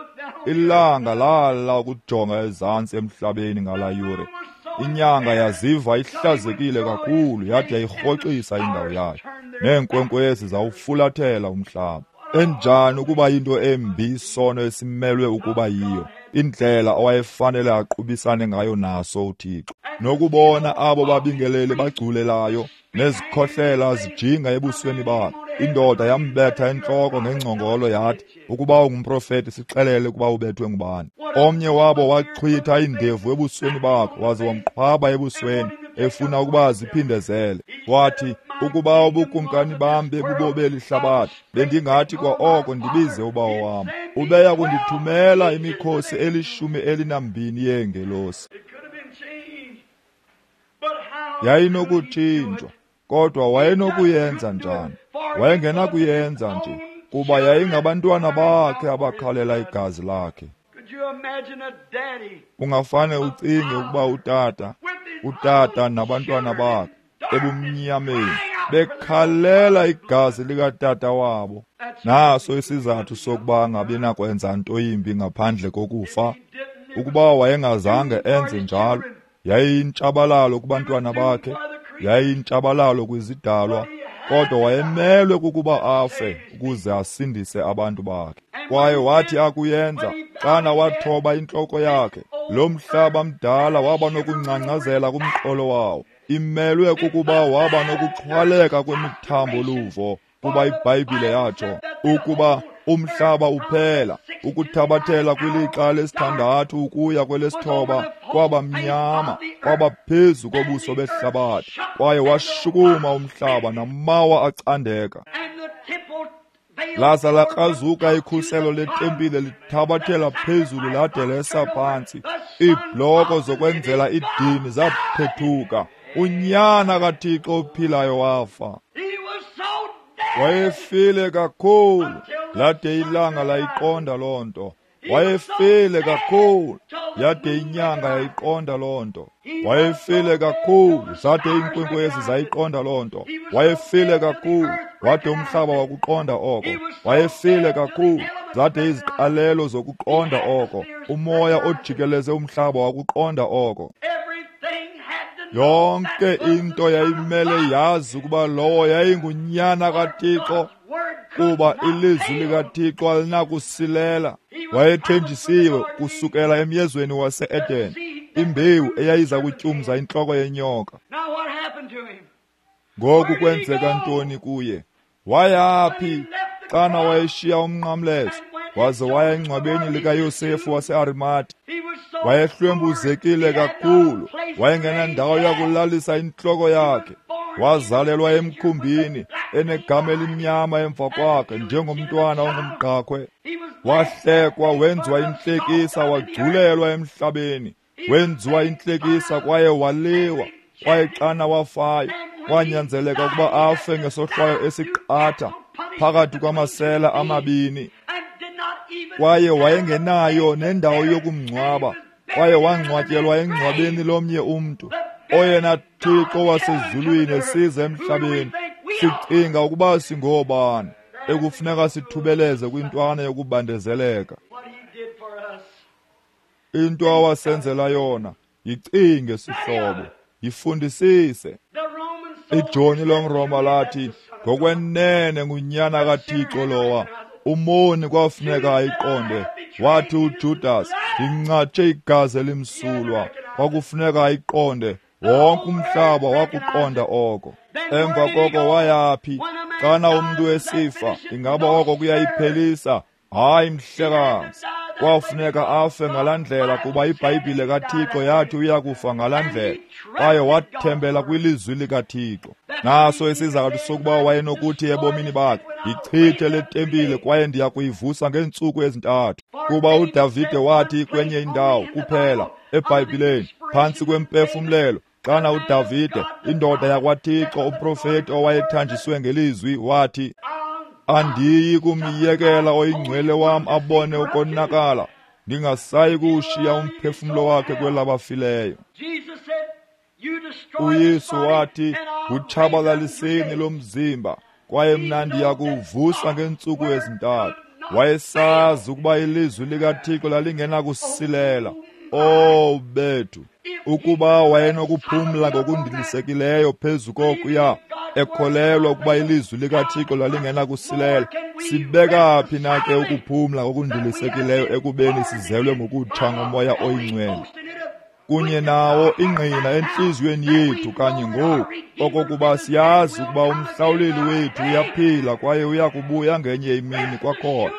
Ilanga lala ukujonga ezantsi emhlabeni ngalaa yure. Inyanga yaziva ihlazekile kakhulu, yade yayirhoxisa indawo yayo, neenkwenkwezi zawufulathela umhlaba. Enjani ukuba yinto embi isono esimelwe ukuba yiyo, indlela awayefanele aqubisane ngayo naso uThixo. Nokubona abo babingeleli bagculelayo nezikhohlela zijinga ebusweni bakhe. Indoda yambetha entloko ngengcongolo yathi, ukuba ungumprofeti sixelele ukuba ubethwe ngubani. Omnye wabo waxhwitha indevu ebusweni bakhe waze wamqhwaba ebusweni, efuna ukuba aziphindezele. Wathi, ukuba ubukumkani bam bebubobeli hlabathi, bendingathi kwa oko ndibize ubawo wam, ubeya kundithumela imikhosi elishumi elinambini yeengelosi. Yayinokutshintshwa, kodwa wayenokuyenza njani? Wayengenakuyenza nje, kuba yayingabantwana bakhe abakhalela igazi lakhe. Ungafane ucinge ukuba utata, utata nabantwana bakhe ebumnyameni bekhalela igazi likatata wabo. Naso isizathu sokuba angabi nakwenza nto yimbi ngaphandle kokufa. Ukuba wayengazange enze njalo, yayiyintshabalalo kubantwana bakhe, yayiyintshabalalo kwizidalwa, kodwa wayemelwe kukuba afe ukuze asindise abantu bakhe. Kwaye wathi akuyenza, xana wathoba intloko yakhe, lo mhlaba mdala waba nokungcangcazela kumqolo wawo. Imelwe kukuba waba nokuxhwaleka kwemithambo luvo, kuba iBhayibhile yatsho ukuba umhlaba uphela ukuthabathela kwilixa lesithandathu ukuya kwelesithoba kwaba mnyama, kwaba phezu kobuso behlabathi, kwaye washukuma umhlaba namawa acandeka. Laza lakrazuka ikhuselo letempile lithabathela phezulu lade lesa phantsi. Iibhloko zokwenzela idini zaphethuka. Unyana kaThixo ophilayo wafa. Wayefile kakhulu Lade ilanga layiqonda loo nto. Wayefile kakhulu, yade inyanga yayiqonda loo nto. Wayefile kakhulu, zade iinkwenkwezi zayiqonda loo nto. Wayefile kakhulu, wade umhlaba wakuqonda oko. Wayefile kakhulu, zade iziqalelo zokuqonda oko. Umoya ojikeleze umhlaba wakuqonda oko. Yonke into yayimele yazi ukuba lowo yayingunyana kaThixo, kuba ilizwi likaThixo alinakusilela. Wayethenjisiwe kusukela emyezweni wase-Eden, imbewu eyayiza kutyumza intloko yenyoka. Ngoku kwenzeka ntoni kuye? Wayaphi xana wayeshiya umnqamlezo waze waya engcwabeni likaYosefu waseArimati? Wayehlwempuzekile kakhulu, wayengenandawo yakulalisa intloko yakhe. Wazalelwa emkhumbini enegama elimnyama emva kwakhe njengomntwana ongumgqakhwe. Wahlekwa, wenziwa intlekisa, wagculelwa emhlabeni. Wenziwa intlekisa kwaye waliwa. Kwaye xana wafayo, kwanyanzeleka ukuba afe ngesohlwayo esiqatha phakathi kwamasela amabini. Kwaye wayengenayo nendawo yokumngcwaba, kwaye wangcwatyelwa engcwabeni lomnye umntu. Oyena Thixo wasezulwini esiza emhlabeni, sicinga ukuba singoobani ekufuneka sithubeleze kwintwana yokubandezeleka. Into awasenzela yona, yicinge sihlobo, yifundisise. Ijoni lomRoma lathi, ngokwenene ngunyana kaThixo lowa. Umoni kwafuneka ayiqonde. Wathi uJudas, ndingcatshe igazi elimsulwa. Kwakufuneka ayiqonde. Wonke umhlaba wakuqonda oko. Emva koko wayaphi? Xana umntu esifa, ingaba oko kuyayiphelisa? Hayi mhlekazi. Kwafuneka afe ngalaa ndlela, kuba iBhayibhile kaThixo yathi uyakufa ngalaa ndlela. Kwaye wathembela kwilizwi likaThixo. Naso isizathu sokuba wayenokuthi ebomini bakhe, yichithe le tempile kwaye ndiya kuyivusa ngeentsuku ezintathu. Kuba uDavide wathi kwenye indawo kuphela eBhayibhileni, phantsi kwempefumlelo, xana uDavide, indoda yakwaThixo, umprofeti owayethanjiswe ngelizwi, wathi, andiyi kumyekela oyingcwele wam abone ukonakala, ndingasayi kuwushiya umphefumlo wakhe kwelabafileyo. UYesu wathi, wutshabalaliseni lo mzimba, kwaye mna ndiya kuwuvusa ngeentsuku ezintathu. Wayesazi ukuba ilizwi likaThixo lalingenakusilela. Oh bethu, ukuba wayenokuphumla ngokundilisekileyo phezu kokuya, ekholelwa ukuba ilizwi likaThixo lalingenakusilela, sibeka phi na ke ukuphumla ngokundilisekileyo ekubeni sizelwe ngokutsha ngoMoya oyiNgcwele kunye nawo ingqina entliziyweni yethu kanye ngoku, okokuba siyazi ukuba umhlawuleli wethu uyaphila kwaye uyakubuya ngenye imini kwakhona.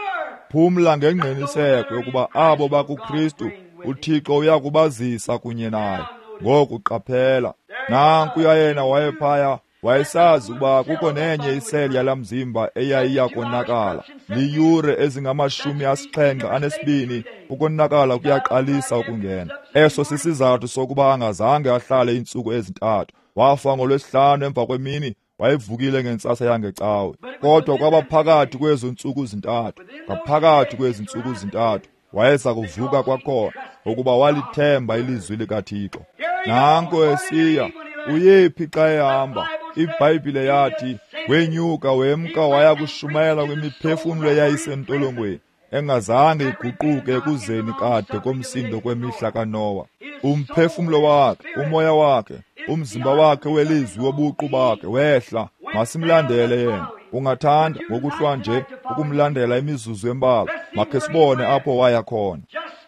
Phumla ngengqiniseko yokuba abo bakuKristu uThixo uyakubazisa kunye naye. Ngoku qaphela, nankuya yena wayephaya, wayesazi ukuba kukho nenye iseli yalaa mzimba eyayiya konakala. Liyure ezingamashumi asixhenxe anesibini ukonakala kuyaqalisa ukungena. Eso sisizathu sokuba angazange ahlale iintsuku ezintathu. Wafa ngolwesihlanu emva kwemini, wayevukile ngentsasa yangecawe. Kodwa kwaba phakathi kwezo ntsuku zintathu, ngaphakathi kwezi ntsuku zintathu, wayeza kuvuka kwakhona, ukuba walithemba ilizwi likaThixo. Nanko esiya, uyephi xa ehamba? iBhayibhile yathi, wenyuka wemka waya kushumayela kwimiphefumlo eyayisentolongweni, engazange iguquke ekuzeni kade komsindo kwemihla kaNowa. Umphefumlo wakhe, umoya wakhe, umzimba wakhe welizwi wobuqu bakhe wehla. Masimlandele yena. Ungathanda ngokuhlwa nje ukumlandela imizuzu embalwa? Makhe sibone apho waya khona.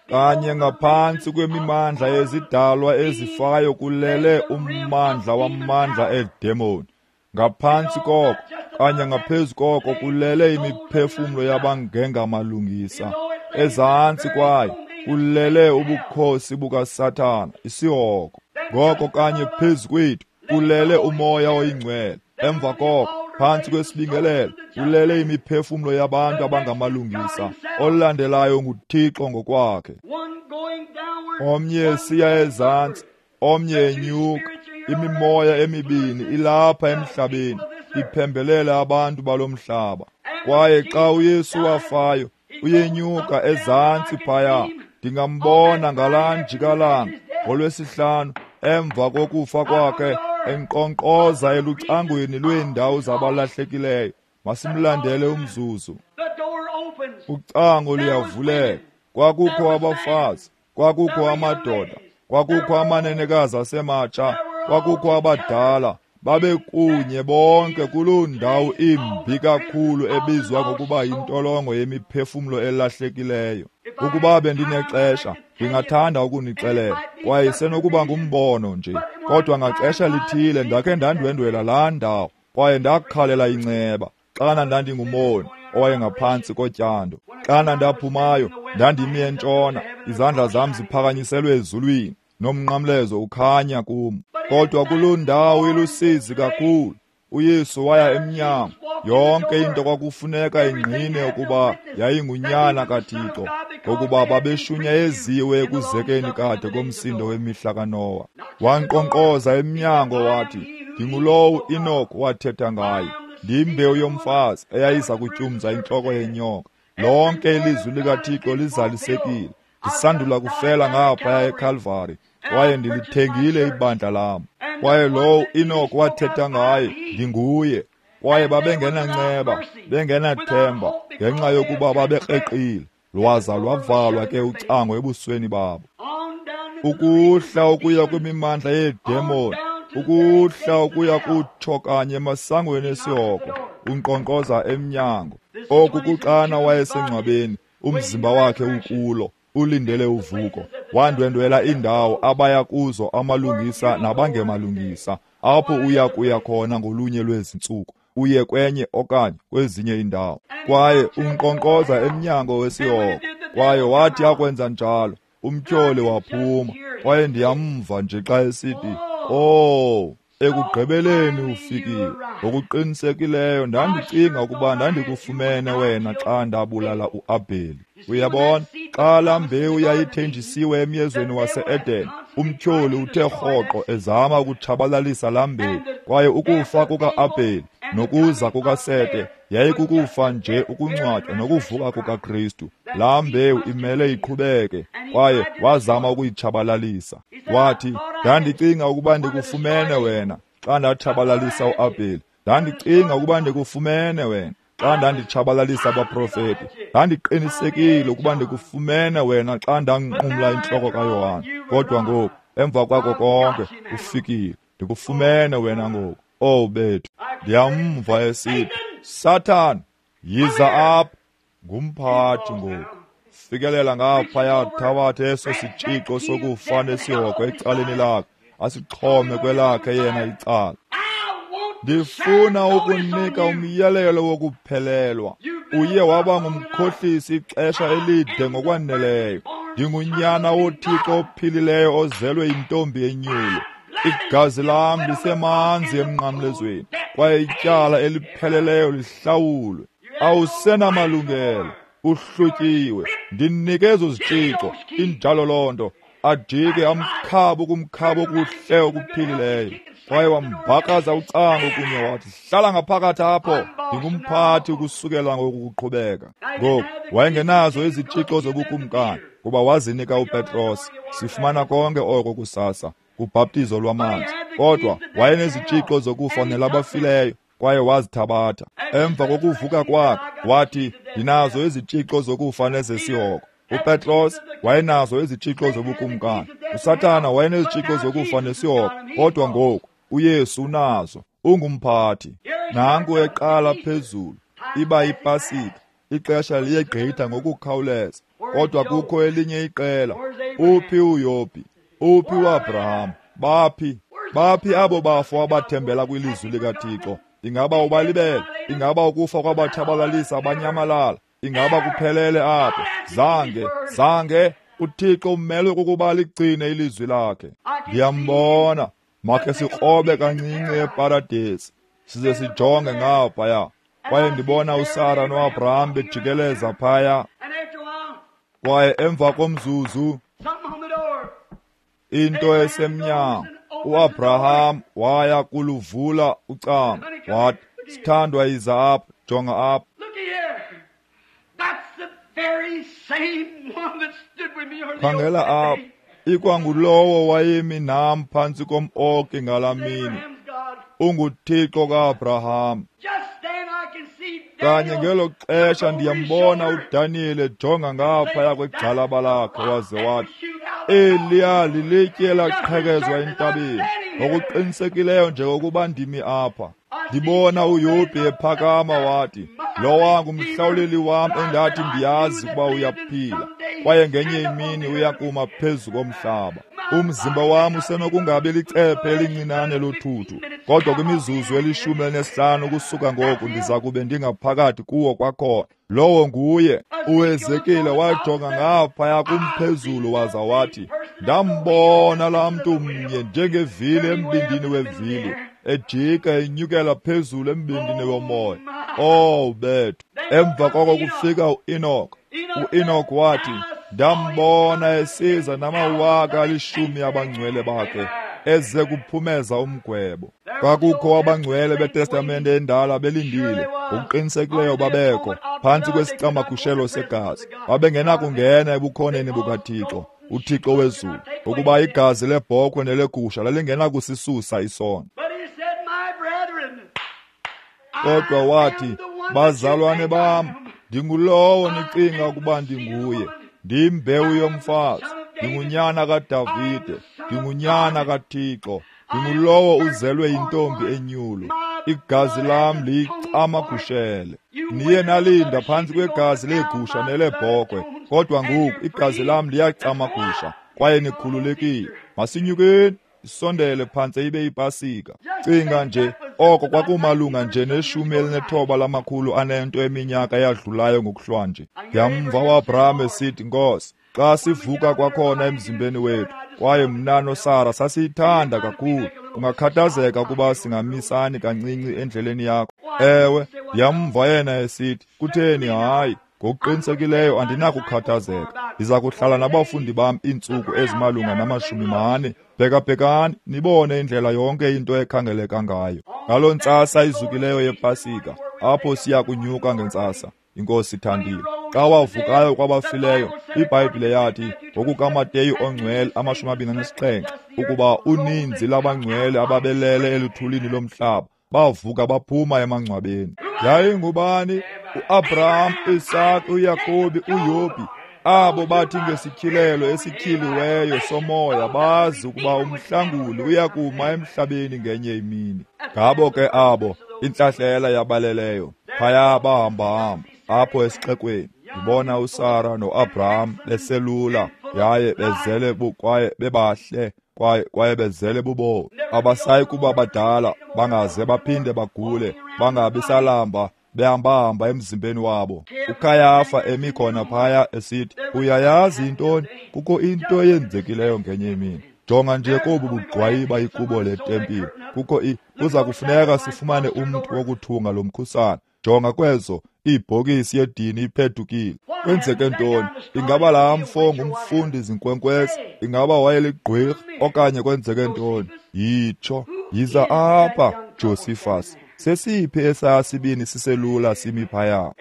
Kanye ngaphantsi kwemimandla yezidalwa ezifayo kulele ummandla wamandla eedemoni. Ngaphantsi koko, kanye ngaphezu koko, kulele imiphefumlo yabangengamalungisa. Ezantsi kwayo kulele ubukhosi bukaSathana, isihogo. Ngoko kanye phezu kwethu kulele uMoya oyiNgcwele. Emva koko, phantsi kwesibingelelo kulele imiphefumlo yabantu abangamalungisa. Olandelayo nguThixo ngokwakhe. Omnye esiya ezantsi, omnye enyuka. Imimoya emibini ilapha emhlabeni, iphembelela abantu balomhlaba. Kwaye xa uYesu wafayo, uyenyuka ezantsi phaya. Ndingambona ngalaa njikalanga ngolwesihlanu emva kokufa kwakhe enkqonkqoza elucangweni lweendawo zabalahlekileyo. Masimlandele umzuzu. Ucango luyavuleka. Kwakukho abafazi, kwakukho amadoda, kwakukho amanenekazi asematsha, kwakukho abadala. Babekunye bonke kuloo ndawo imbi kakhulu ebizwa ngokuba yintolongo yemiphefumlo elahlekileyo. Ukuba bendinexesha, ndingathanda ukunixelela, kwaye isenokuba ngumbono nje. Kodwa ngaxesha lithile ndakhe ndandwendwela laa ndawo, kwaye ndakhalela inceba xana ndandingumoni owayengaphantsi kotyando. Xana ndaphumayo, ndandimi entshona, izandla zam ziphakanyiselwe ezulwini, nomnqamlezo ukhanya kum. Kodwa kuloo ndawo ilusizi kakhulu, uYesu waya emnyango. Yonke into kwakufuneka ingqine ukuba yayingunyana kaThixo, ngokuba babeshunyayeziwe ekuzekeni kade komsindo wemihla kaNowa. Wankqonkqoza emnyango wathi, "Ndingulowo Enoch wathetha ngaye, ndiyimbewu yomfazi eyayiza kutyumza intloko yenyoka. Lonke ilizwi likaThixo lizalisekile. Ndisandula kufela ngaphaya eKalvari, kwaye ndilithengile ibandla lam. Kwaye lowo Enoch wathetha ngaye, ndinguye." Kwaye babengenanceba, bengenathemba, ngenxa yokuba babekreqile. Lwaza lwavalwa ke ucango ebusweni babo. Ukuhla ukuya kwimimandla yeedemoni, ukuhla ukuya kutsho kanye emasangweni esihogo, unkqonkqoza emnyango. Oku kuxana wayesengcwabeni, umzimba wakhe ukulo, ulindele uvuko. Wandwendwela iindawo abaya kuzo amalungisa nabangemalungisa, apho uya kuya khona ngolunye lwezi ntsuku, uye kwenye okanye kwezinye iindawo. Kwaye unkqonkqoza emnyango wesihogo. Kwaye wathi akwenza njalo, umtyholi waphuma. Kwaye ndiyamva nje xa esithi, "Oh, ekugqibeleni ufikile. Ngokuqinisekileyo ndandicinga ukuba ndandikufumene wena xa ndabulala uAbheli." Uyabona, xa laa mbewu yayithenjisiwe emyezweni wase-Eden, umtyholi uthe rhoqo ezama ukutshabalalisa laa mbewu. Kwaye ukufa kuka-Abheli nokuza kukaSete yayikukufa nje ukungcwatywa nokuvuka kukaKristu. Laa mbewu imele iqhubeke, kwaye wazama ukuyitshabalalisa. Wathi, "Ndandicinga ukuba ndikufumene wena xa ndatshabalalisa uAbheli. Ndandicinga ukuba ndikufumene wena xa ndanditshabalalisa abaprofeti. Ndandiqinisekile ukuba ndikufumene wena xa ndanqumla intloko kaYohane. Kodwa ngoku, emva kwako konke, ufikile. Ndikufumene wena ngoku." Oh bethu, ndiyamva esithi, "Sathana, yiza apha." Ngumphathi ngoku. Fikelela ngaphaya, thabathe eso sitshixo sokufa nesihogo ecaleni lakhe, asixhome kwelakhe yena icala. Ndifuna ukunika umyalelo wokuphelelwa. Uye waba ngumkhohlisi ixesha elide ngokwaneleyo. Ndingunyana woThixo ophilileyo ozelwe yintombi enyulu. Igazi lam lisemanzi emnqamlezweni, kwaye ityala elipheleleyo lihlawulwe. Awusenamalungelo, uhlutyiwe. Ndinike ezo zitshixo. Injalo loo nto. Ajike amkhaba ukumkhaba okuhle okuphilileyo. Kwaye wambhakaza ucango kunye wathi, "Hlala ngaphakathi apho, ndingumphathi ukusukela ngoku kuqhubeka." Ngoku wayengenazo izitshixo zobukumkani, kuba wazinika uPetros. Sifumana konke oko kusasa kubhaptizo lwamanzi. Kodwa wayenezitshixo zokufa nelabafileyo, kwaye wazithabatha. Emva kokuvuka kwakhe wathi, "Ndinazo izitshixo zokufa nezesihogo." UPetros wayenazo izitshixo zobukumkani. USathana wayenezitshixo zokufa nesihogo, kodwa ngoku uYesu unazo, ungumphathi. Nanku eqala phezulu, iba yiPasika. Ixesha liyegqitha ngokukhawuleza, kodwa kukho elinye iqela. Uphi uYobhi? Uphi uAbraham? Baphi? Baphi abo bafo abathembela kwilizwi likaThixo? Ingaba ubalibele? Ingaba ukufa kwabatshabalalisa abanyamalala? Ingaba kuphelele apho? Zange, zange. UThixo umelwe kukuba ligcine ilizwi lakhe. Ndiyambona. Makhe sikrobe kancinci eparadesi, size sijonge ngaphaya. Kwaye ndibona uSara noAbraham bejikeleza phaya. Kwaye emva komzuzu, into esemnyango, uAbraham waya kuluvula ucango. Wathi, Sithandwa, yiza apha, jonga apha. Khangela apha, ikwangulowo wayemi nam phantsi kom-oki ngalaa mini. UnguThixo ka-Abraham. Kanye ngelo xesha ndiyambona uDaniyeli ejonga ngaphaya kwegxalaba lakhe waze wathi, eliya lilitye elaqhekezwa entabeni, ngokuqinisekileyo njengokuba ndimi apha. Ndibona uYobhi ephakama wathi, lowa ngumhlawuleli wam endathi ndiyazi ukuba uyaphila, kwaye ngenye imini uyakuma phezu komhlaba. Umzimba wam usenokungabi licephe elincinane lothuthu, kodwa kwimizuzu elishumi elinesihlanu ukusuka ngoku ndiza kube ndingaphakathi kuwo kwakhona. Lowo nguye. UHezekile wajonga ngaphaya kumphezulu waza wathi, ndambona laa mntu mnye njengevili embindini wevili, ejika enyukela phezulu embindini womoya. Oh bethu! Emva koko kufika uEnoch. UEnoch wathi, ndambona esiza namawaka alishumi abangcwele bakhe, eze kuphumeza umgwebo. Kwakukho abangcwele beTestamente endala belindile, ngokuqinisekileyo babekho phantsi kwesicamagushelo segazi. Babengenakungena ebukhoneni bukaThixo, uThixo wezulu, ukuba igazi lebhokhwe nelegusha lalingenakusisusa isono. Kodwa wathi, bazalwane bam, ndingulowo nicinga ukuba ndinguye. Ndiyimbewu yomfazi, ndingunyana kaDavide, ndingunyana kaThixo, ndingulowo uzelwe yintombi enyulu. Igazi lam liyicamagushele. Niye nalinda phantsi kwegazi legusha nelebhokhwe, kodwa ngoku igazi lam liyacamagusha, kwaye nikhululekile. Masinyukeni, isondele phantse ibe ipasika. Cinga nje, oko kwakumalunga nje neshumi elinethoba lamakhulu anento eminyaka eyadlulayo ngokuhlwanje. Ndiyamva uAbraham esithi, Nkosi, xa sivuka kwakhona emzimbeni wethu, kwaye mna noSara sasiyithanda kakhulu, ungakhathazeka ukuba singamisani kancinci endleleni yakho. Ewe, ndiyamva yena esithi, kutheni hayi, ngokuqinisekileyo andinakukhathazeka. Ndiza kuhlala nabafundi bam iintsuku ezimalunga namashumi mane. Bhekabhekani, nibone indlela yonke into ekhangeleka ngayo. Ngaloo ntsasa izukileyo yePasika, apho siya kunyuka ngentsasa, iNkosi ithandile. Xa wavukayo kwabafileyo, iBhayibhile yathi ngokukaMateyu ongcwele amashumi abini anesixhenxe ukuba uninzi labangcwele ababelele eluthulini lomhlaba bavuka baphuma emangcwabeni. Yayingubani? uAbraham, Isaac, uYakobi, uYobhi. Abo bathi ngesityhilelo esityhiliweyo somoya bazi ukuba umhlanguli uyakuma emhlabeni ngenye imini. Ngabo ke abo intlahlela yabaleleyo phaya bahamba-hamba apho esixekweni. Ndibona uSara noAbraham beselula yaye bezele kwaye bebahle kwaye kwaye bezele bubomi. Abasayi kuba badala, bangaze baphinde bagule, bangabi salamba, behamba-hamba emzimbeni wabo. uKayafa emi khona phaya esithi, uyayazi intoni? Kukho into eyenzekileyo ngenye imini. Jonga nje kobu bugqwayiba ikubo letempile. Kukho i kuza kufuneka sifumane umntu wokuthunga lo mkhusane. Jonga kwezo, ibhokisi yedini iphethukile. Kwenzeke ntoni? Ingaba laa mfo ngumfundi zinkwenkwezi? Ingaba wayeligqwirha okanye kwenzeke ntoni? Yitsho, yiza apha, Josephus. Sesiphi esaa sibini siselula simi phaya?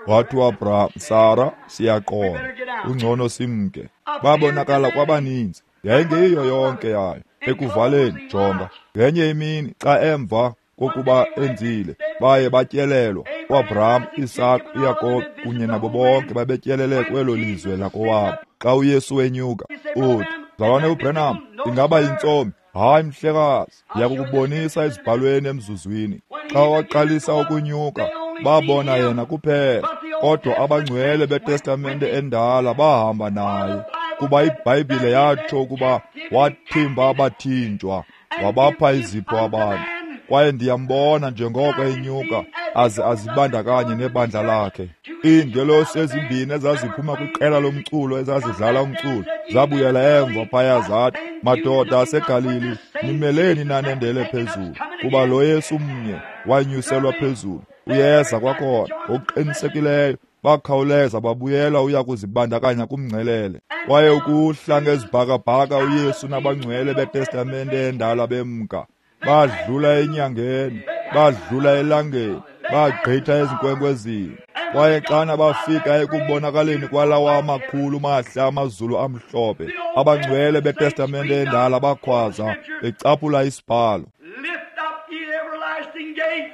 Wathi uAbraham, Sara, siyaqonda, ungcono simke. Babonakala kwabaninzi, yayingeyiyo yonke yayo. Ekuvaleni, jonga, ngenye imini xa emva kokuba enzile, baye batyelelwa. uAbraham, Isaac, uYakobi kunye nabo bonke babetyelele kwelo lizwe lakowabo. Xa uYesu wenyuka, uthi, mzalwane uBranham, ingaba yintsomi? Hayi mhlekazi, ndiyakukubonisa ezibhalweni emzuzwini. Xa waqalisa ukunyuka, babona yena kuphela, kodwa abangcwele beTestamente endala bahamba naye, kuba iBhayibhile yatsho ukuba wathimba abathinjwa, wabapha izipho abantu. Kwaye ndiyambona njengoko enyuka aze azibandakanye nebandla lakhe. Iingelosi ezimbini ezaziphuma kwiqela lomculo ezazidlala umculo zabuyela emva phaya zathi, madoda aseGalili, nimeleni nanendele phezulu, kuba lo Yesu mnye wanyuselwa phezulu, uyeza kwakhona. Ngokuqinisekileyo bakhawuleza babuyela uya kuzibandakanya kumngcelele. Kwaye ukuhla ngezibhakabhaka uYesu nabangcwele beTestamente endala bemka, badlula enyangeni, Badlula elangeni, bagqitha ezinkwenkwezini. Kwaye xana bafika ekubonakaleni kwalawa amakhulu mahle amazulu amhlophe, abangcwele beTestamente endala bakhwaza becaphula isibhalo. Lift up ye everlasting gates.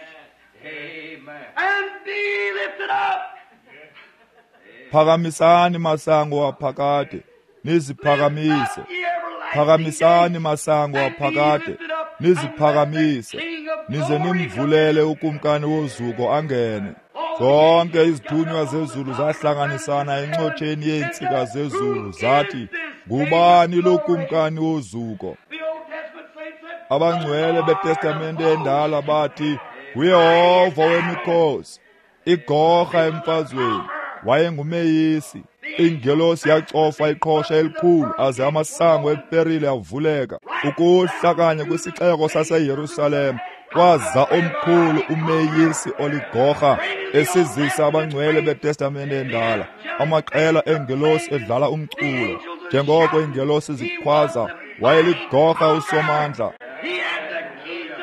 Amen. And be lifted up. Phakamisani masango aphakade, niziphakamise. Phakamisani masango aphakade, niziphakamise. Nize nimvulele ukumkani wozuko angene. Zonke izithunywa zezulu zahlanganisana encotsheni yeentsika zezulu zathi, ngubani lo kumkani wozuko? Abangcwele beTestamente endala bathi, nguYehova wemikhosi, igorha emfazweni, wayengumeyisi. Ingelosi yacofa iqhosha elikhulu aze amasango eperile avuleka. Ukuhla kanye kwisixeko saseYerusalem kwaza omkhulu umeyisi oligorha esizisa abangcwele beTestamente endala, amaqela engelosi edlala umculo. Njengoko ingelosi zikhwaza, wayeligorha usomandla.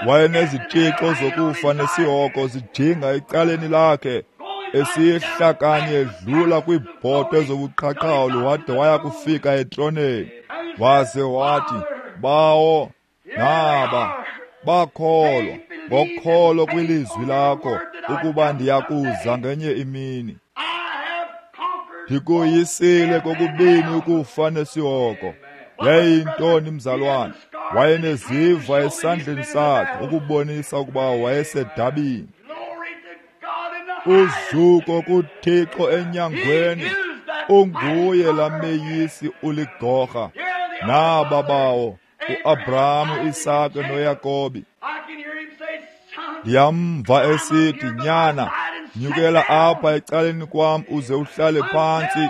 Wayenezitshixo zokufa nesihoko zijinga ecaleni lakhe, esihla kanye edlula kwiibhotwe zobuqhaqhawulo wade waya kufika etroneni. Waze wathi, Bawo, naba bakholwa ngokholo kwilizwi lakho ukuba ndiyakuza ngenye imini. Ndikoyisile kokubini ukufa nesihoko. Yayintoni mzalwane? Wayeneziva esandleni sakhe ukubonisa ukuba wayesedabini. Uzuko kuThixo enyangweni, unguye lameyisi uligorha. Naba bawo, uAbrahamu, Isake noYakobi. Ndiyamva esithi, nyana, nyukela apha ecaleni kwam uze uhlale phantsi,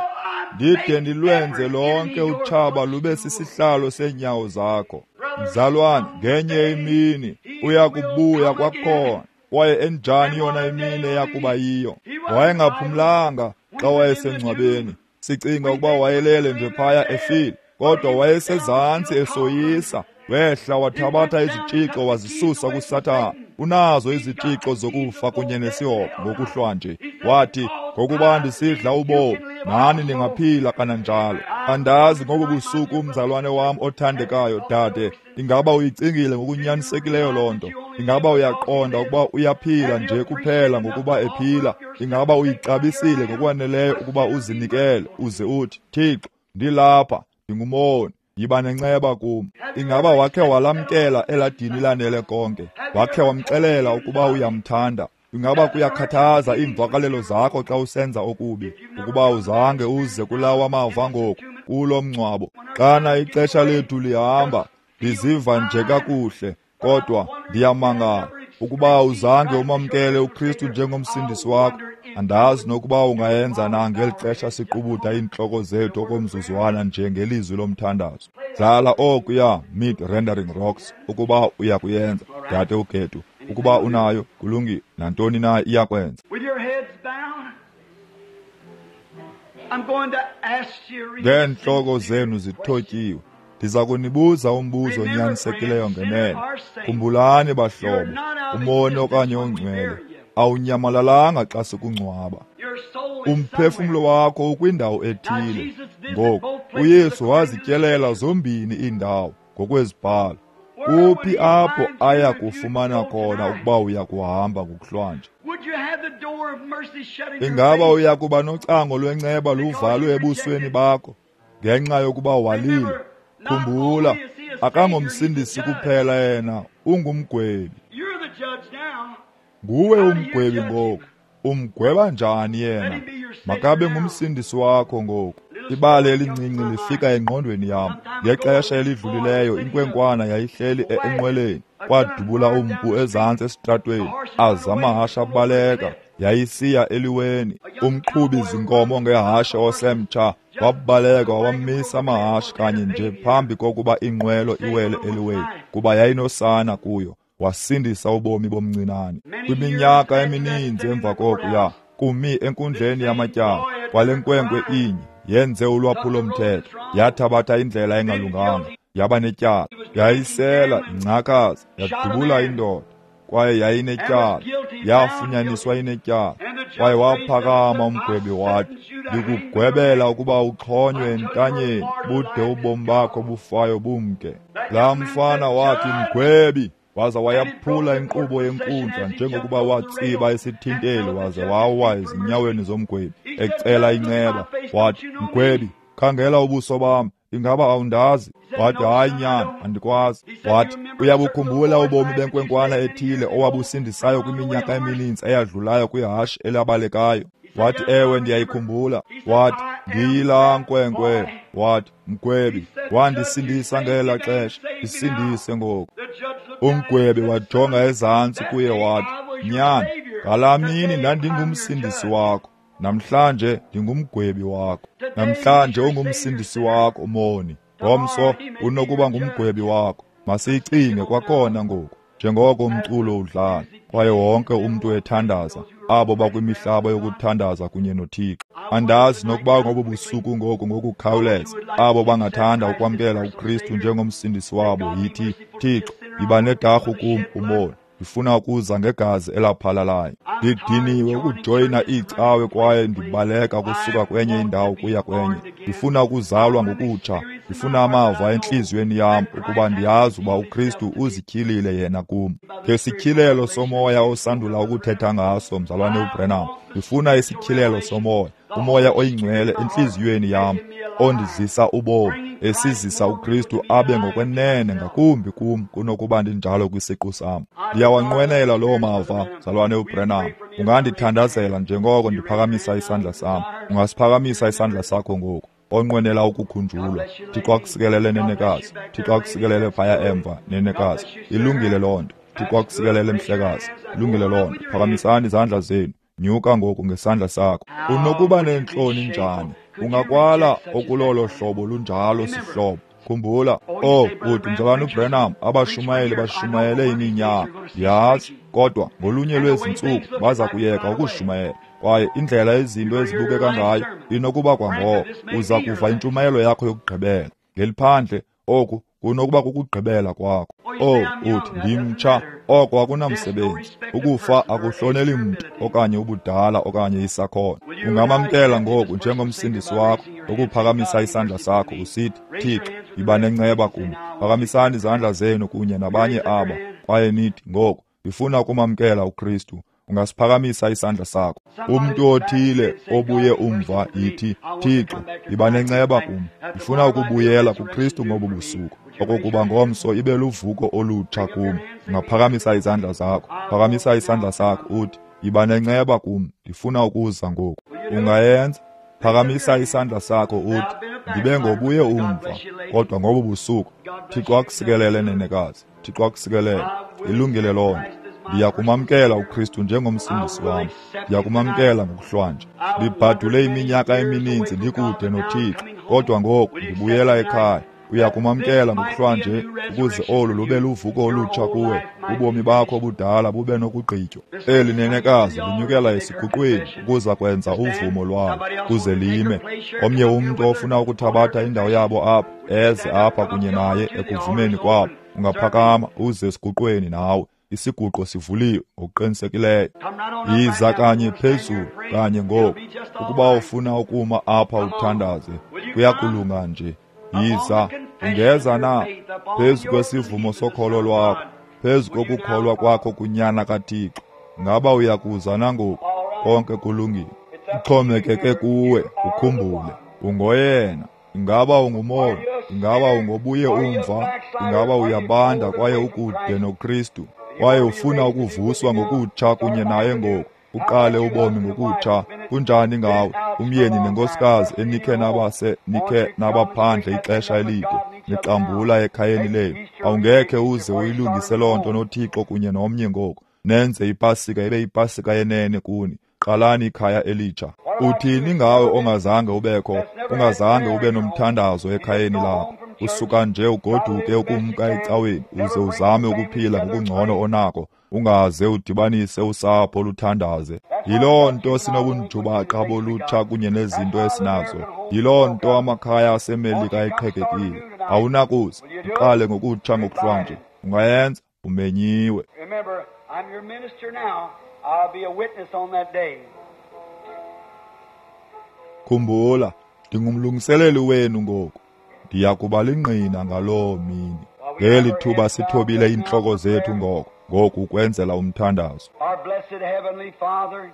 ndide ndilwenze lonke utshaba lube sisihlalo seenyawo zakho. Mzalwane, ngenye imini uyakubuya kwakhona. Kwaye enjani yona imini eyakuba yiyo? Wayengaphumlanga xa wayesengcwabeni. Sicinga ukuba wayelele nje phaya efile, kodwa wayesezantsi esoyisa. Wehla wathabatha izitshixo wazisusa kuSathana. Unazo izitshixo zokufa kunye nesihoko ngokuhlwa nje. Wathi, ngokuba ndisidla ubomi, nani ningaphila kananjalo. Andazi ngobu busuku, umzalwane wam othandekayo, dade, ingaba uyicingile ngokunyanisekileyo loo nto? Ingaba uyaqonda ukuba uyaphila nje kuphela ngokuba ephila? Ingaba uyixabisile ngokwaneleyo ukuba uzinikele uze uthi, Thixo, ndilapha, ndingumoni, yiba nenceba kum? Ingaba wakhe walamkela eladini lanele konke? Wakhe wamxelela ukuba uyamthanda? Ingaba kuyakhathaza iimvakalelo zakho xa usenza okubi? Ukuba uzange uze kulawa mava ngoku, kulo mngcwabo. Xana ixesha lethu lihamba, ndiziva nje kakuhle, kodwa ndiyamangala ukuba uzange umamkele uKristu njengomsindisi wakho. Andazi nokuba ungayenza na ngeli xesha siqubuda iintloko zethu okomzuzwana nje ngelizwi lomthandazo. Dlala okuya Mid Rendering Rocks ukuba uyakuyenza, dade uGetu. Ukuba unayo, kulungile, nantoni na iyakwenza. Ngeentloko zenu zithotyiwe, ndiza kunibuza umbuzo onyanisekileyo ngenene. Khumbulani bahlobo, umoni okanye ongcwele awunyamalalanga xa sikungcwaba. Umphefumlo wakho ukwindawo ethile. Ngoku uYesu wazityelela zombini iindawo ngokwezibhalo. Kuphi apho aya kufumana khona ukuba uya kuhamba ngokuhlwanje? Ingaba uya kuba nocango lwenceba luvalwe ebusweni bakho ngenxa yokuba walile? Khumbula, akangomsindisi kuphela yena, ungumgwebi. Nguwe umgwebi ngoku. Umgweba njani yena? Makabe ngumsindisi wakho ngoku. Ibali elincinci lifika engqondweni yam. Ngexesha elidlulileyo inkwenkwana yayihleli enqweleni. Kwadubula umpu ezantsi esitratweni, aza amahashe abaleka. Yayisiya eliweni. Umqhubi zinkomo ngehashe osemtsha wabaleka wamisa amahashe kanye nje phambi kokuba inqwelo iwele eliweni, kuba yayinosana kuyo. Wasindisa ubomi bomncinane. Kwiminyaka emininzi emva kokuya kumi enkundleni yamatyala kwale nkwenkwe inye yenze ulwaphulo-mthetho, yathabatha indlela engalunganga, yaba netyala, yayisela ingcakaza, yadubula indoda. kwaye yayinetyala, yafunyaniswa inetyala. Kwaye waphakama umgwebi wathi, ndikugwebela ukuba uxhonywe entanyeni, bude ubomi bakho bufayo bumke. Laa mfana wathi, mgwebi, waza wayaphula inkqubo yenkundla njengokuba watsiba isithinteli waze wawa ezinyaweni zomgwebi ecela inceba. Wathi, mgwebi, khangela ubuso bam, ingaba awundazi? Wathi, hayi nyana, andikwazi. Wathi, uyabukhumbula ubomi benkwenkwana ethile owabusindisayo kwiminyaka emininzi eyadlulayo kwihashe elabalekayo? Wathi, ewe, ndiyayikhumbula. Wathi, ndiyilaa nkwenkwe. Wathi, mgwebi, wandisindisa ngela xesha, ndisindise ngoku. Umgwebi wajonga ezantsi kuye wathi, nyana, ngalaa mini ndandingumsindisi wakho, namhlanje ndingumgwebi wakho. Namhlanje ungumsindisi wakho umoni, ngomso unokuba ngumgwebi wakho. Masiyicinge kwakhona ngoku, njengoko umculo udlala kwaye wonke umntu ethandaza, abo bakwimihlaba yokuthandaza kunye noThixo. Andazi nokuba ngobu busuku ngoku ngokukhawuleza, abo bangathanda ukwamkela uKristu njengomsindisi wabo, yithi, Thixo, yiba nedarhu kum umoni, ndifuna ukuza ngegazi elaphalalayo. Ndidiniwe ukujoyina iicawe kwaye ndibaleka kusuka kwenye indawo kuya kwenye. Ndifuna ukuzalwa ngokutsha, ndifuna amava entliziyweni yam ukuba ndiyazi uba uKristu uzityhilile yena kum. Ngesityhilelo somoya osandula ukuthetha ngaso, mzalwane uBrenham, ndifuna isityhilelo somoya, umoya oyingcwele entliziyweni yam, ondizisa ubomi, esizisa uKristu abe ngokwenene ngakumbi kum kunokuba ndinjalo kwisiqu sam. Ndiyawanqwenela loo mava, mzalwane uBrenham. Ungandithandazela njengoko ndiphakamisa isandla sam. Ungasiphakamisa isandla sakho ngoku, onqwenela ukukhunjulwa. Thixo akusikelele, nenekazi. Thixo akusikelele phaya emva, nenekazi. Ilungile loo nto. Thixo akusikelele, mhlekazi. Ilungile loo nto. Phakamisani izandla zenu. Nyuka ngoku ngesandla sakho. Unokuba neentloni njani? Ungakwala okulolo hlobo lunjalo sihlobo. Khumbula, oh, uthi mzalwane uBrenham, abashumayeli bashumayele iminyaka. Ndiyazi, kodwa ngolunye lwezi ntsuku baza kuyeka ukushumayela. Kwaye indlela izinto ezibukeka ngayo inokuba kwangoko uza kuva intshumayelo yakho yokugqibela. Ngeliphandle, oku kunokuba kukugqibela kwakho. Oh, uthi ndimtsha, oko akunamsebenzi. Ukufa akuhloneli mntu okanye ubudala okanye isakhono. Ungamamkela ngoku njengomsindisi wakho ngokuphakamisa isandla sakho usithi, Thixo, yiba nenceba kum. Phakamisani izandla zenu kunye nabanye aba kwaye nithi, ngoku ndifuna ukumamkela uKristu. Ungasiphakamisa isandla sakho. Umntu othile obuye umva, yithi, Thixo, yiba nenceba kum. Ndifuna ukubuyela kuKristu ngobu busuku, okokuba ngomso ibe luvuko olutsha kum. Ungaphakamisa izandla zakho. Phakamisa isandla sakho uthi, yiba nenceba kum, ndifuna ukuza ngoku. Ungayenza? Phakamisa isandla sakho uthi, ndibe ngobuye umva, kodwa ngobu busuku. Thixo akusikelele, nenekazi. Thixo akusikelele. Ilungile loo nto. Ndiyakumamkela uKristu njengomsindisi wam. Ndiyakumamkela ngokuhlwanje. Ndibhadule iminyaka emininzi ndikude noThixo, kodwa ngoku ndibuyela ekhaya. Uyakumamkela ngokuhlwanje ukuze olu lube luvuko olutsha kuwe, ubomi bakho obudala bube nokugqitywa. Eli nenekazi linyukela esiguqweni ukuza kwenza uvumo lwalo, kuze lime. Omnye umntu ofuna ukuthabatha indawo yabo apha, eze apha kunye naye ekuvumeni kwabo. Ungaphakama uze esiguqweni nawe. Isiguqo sivuliwe ngokuqinisekileyo. Yiza kanye phezulu kanye ngoku. Ukuba ufuna ukuma apha uthandaze, kuyakulunga nje. Yiza, ungeza na phezu kwesivumo sokholo lwakho, phezu kokukholwa kwakho kunyana kaThixo. Ngaba uyakuza nangoku? Konke kulungile. Kuxhomekeke kuwe, ukhumbule, ungoyena. Ingaba ungumoni? Ingaba ungobuye umva? Ingaba uyabanda kwaye ukude noKristu? Kwaye ufuna ukuvuswa ngokutsha kunye naye ngoku, uqale ubomi ngokutsha. Kunjani ngawe, umyeni nenkosikazi enikhe nabase nikhe nabaphandle ixesha elide, nixambula ekhayeni lenu? Awungekhe uze uyilungise loo nto noThixo kunye nomnye ngoku. Nenze iPasika ibe iPasika yenene kuni. Qalani ikhaya elitsha. Uthini ngawe ongazange ubekho, ungazange ube nomthandazo ekhayeni lakho? Usuka nje ugoduke ukumka ecaweni uze uzame ukuphila ngokungcono onako, ungaze udibanise usapho luthandaze. Yiloo nto sinobunjubaqa bolutsha kunye nezinto esinazo. Yiloo nto amakhaya aseMelika eqhekekile. Awunakuze uqale ngokutsha ngokuhlwanje. Ungayenza? Umenyiwe. I'm your minister now. I'll be a witness on that day. Khumbula, ndingumlungiseleli wenu ngoku. Ndiya kuba lingqina ngaloo mini. Ngeli thuba sithobile iintloko zethu ngoko, ngoku ukwenzela umthandazo. Our blessed Heavenly Father,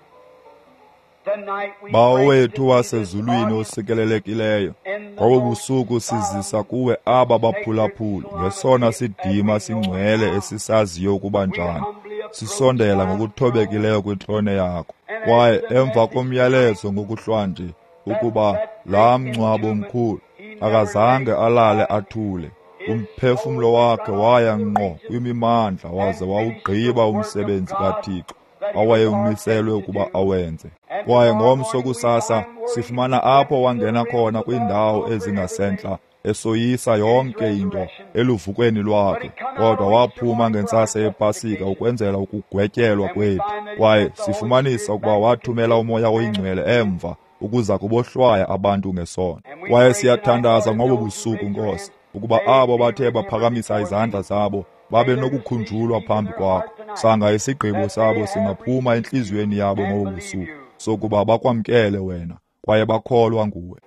tonight we Bawo bring wethu to thee wasezulwini this osikelelekileyo, ngobu busuku sizisa kuwe aba baphulaphuli ngesona sidima singcwele esisaziyo ukuba njani. Sisondela ngokuthobekileyo kwitrone yakho. Kwaye emva komyalezo ngokuhlwanje ukuba laa mngcwabo mkhulu akazange alale athule. Umphefumlo wakhe waya ngqo kwimimandla waze wawugqiba umsebenzi kaThixo awayewumiselwe ukuba awenze. Kwaye ngomso kusasa sifumana apho wangena khona kwiindawo ezingasentla esoyisa yonke into eluvukweni lwakhe, kodwa waphuma ngentsasa yePasika ukwenzela ukugwetyelwa kwethu. Kwaye sifumanisa ukuba wathumela uMoya oyiNgcwele emva ukuza kubohlwaya abantu ngesono. Kwaye siyathandaza ngobo busuku, Nkosi, ukuba abo bathe baphakamisa izandla zabo babe nokukhunjulwa phambi kwakho. Sanga isigqibo sabo singaphuma entliziyweni yabo ngobo busuku, sokuba bakwamkele wena kwaye bakholwa nguwe.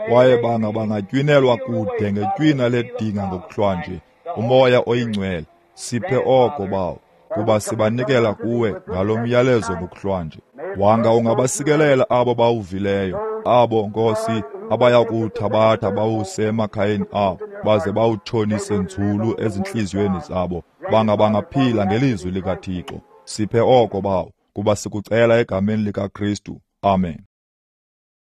Kwaye banga bangatywinelwa kude ngetywina ledinga ngokuhlwanje, uMoya oyiNgcwele. Siphe oko, Bawo, kuba sibanikela kuwe ngalo myalezo ngokuhlwanje. Wanga ungabasikelela abo bawuvileyo, abo, Nkosi, abaya kuwuthabatha bawuse emakhayeni abo, baze bawutshonise nzulu ezintliziyweni zabo. Banga bangaphila ngelizwi likaThixo. Siphe oko, Bawo, kuba sikucela egameni likaKristu. Amen.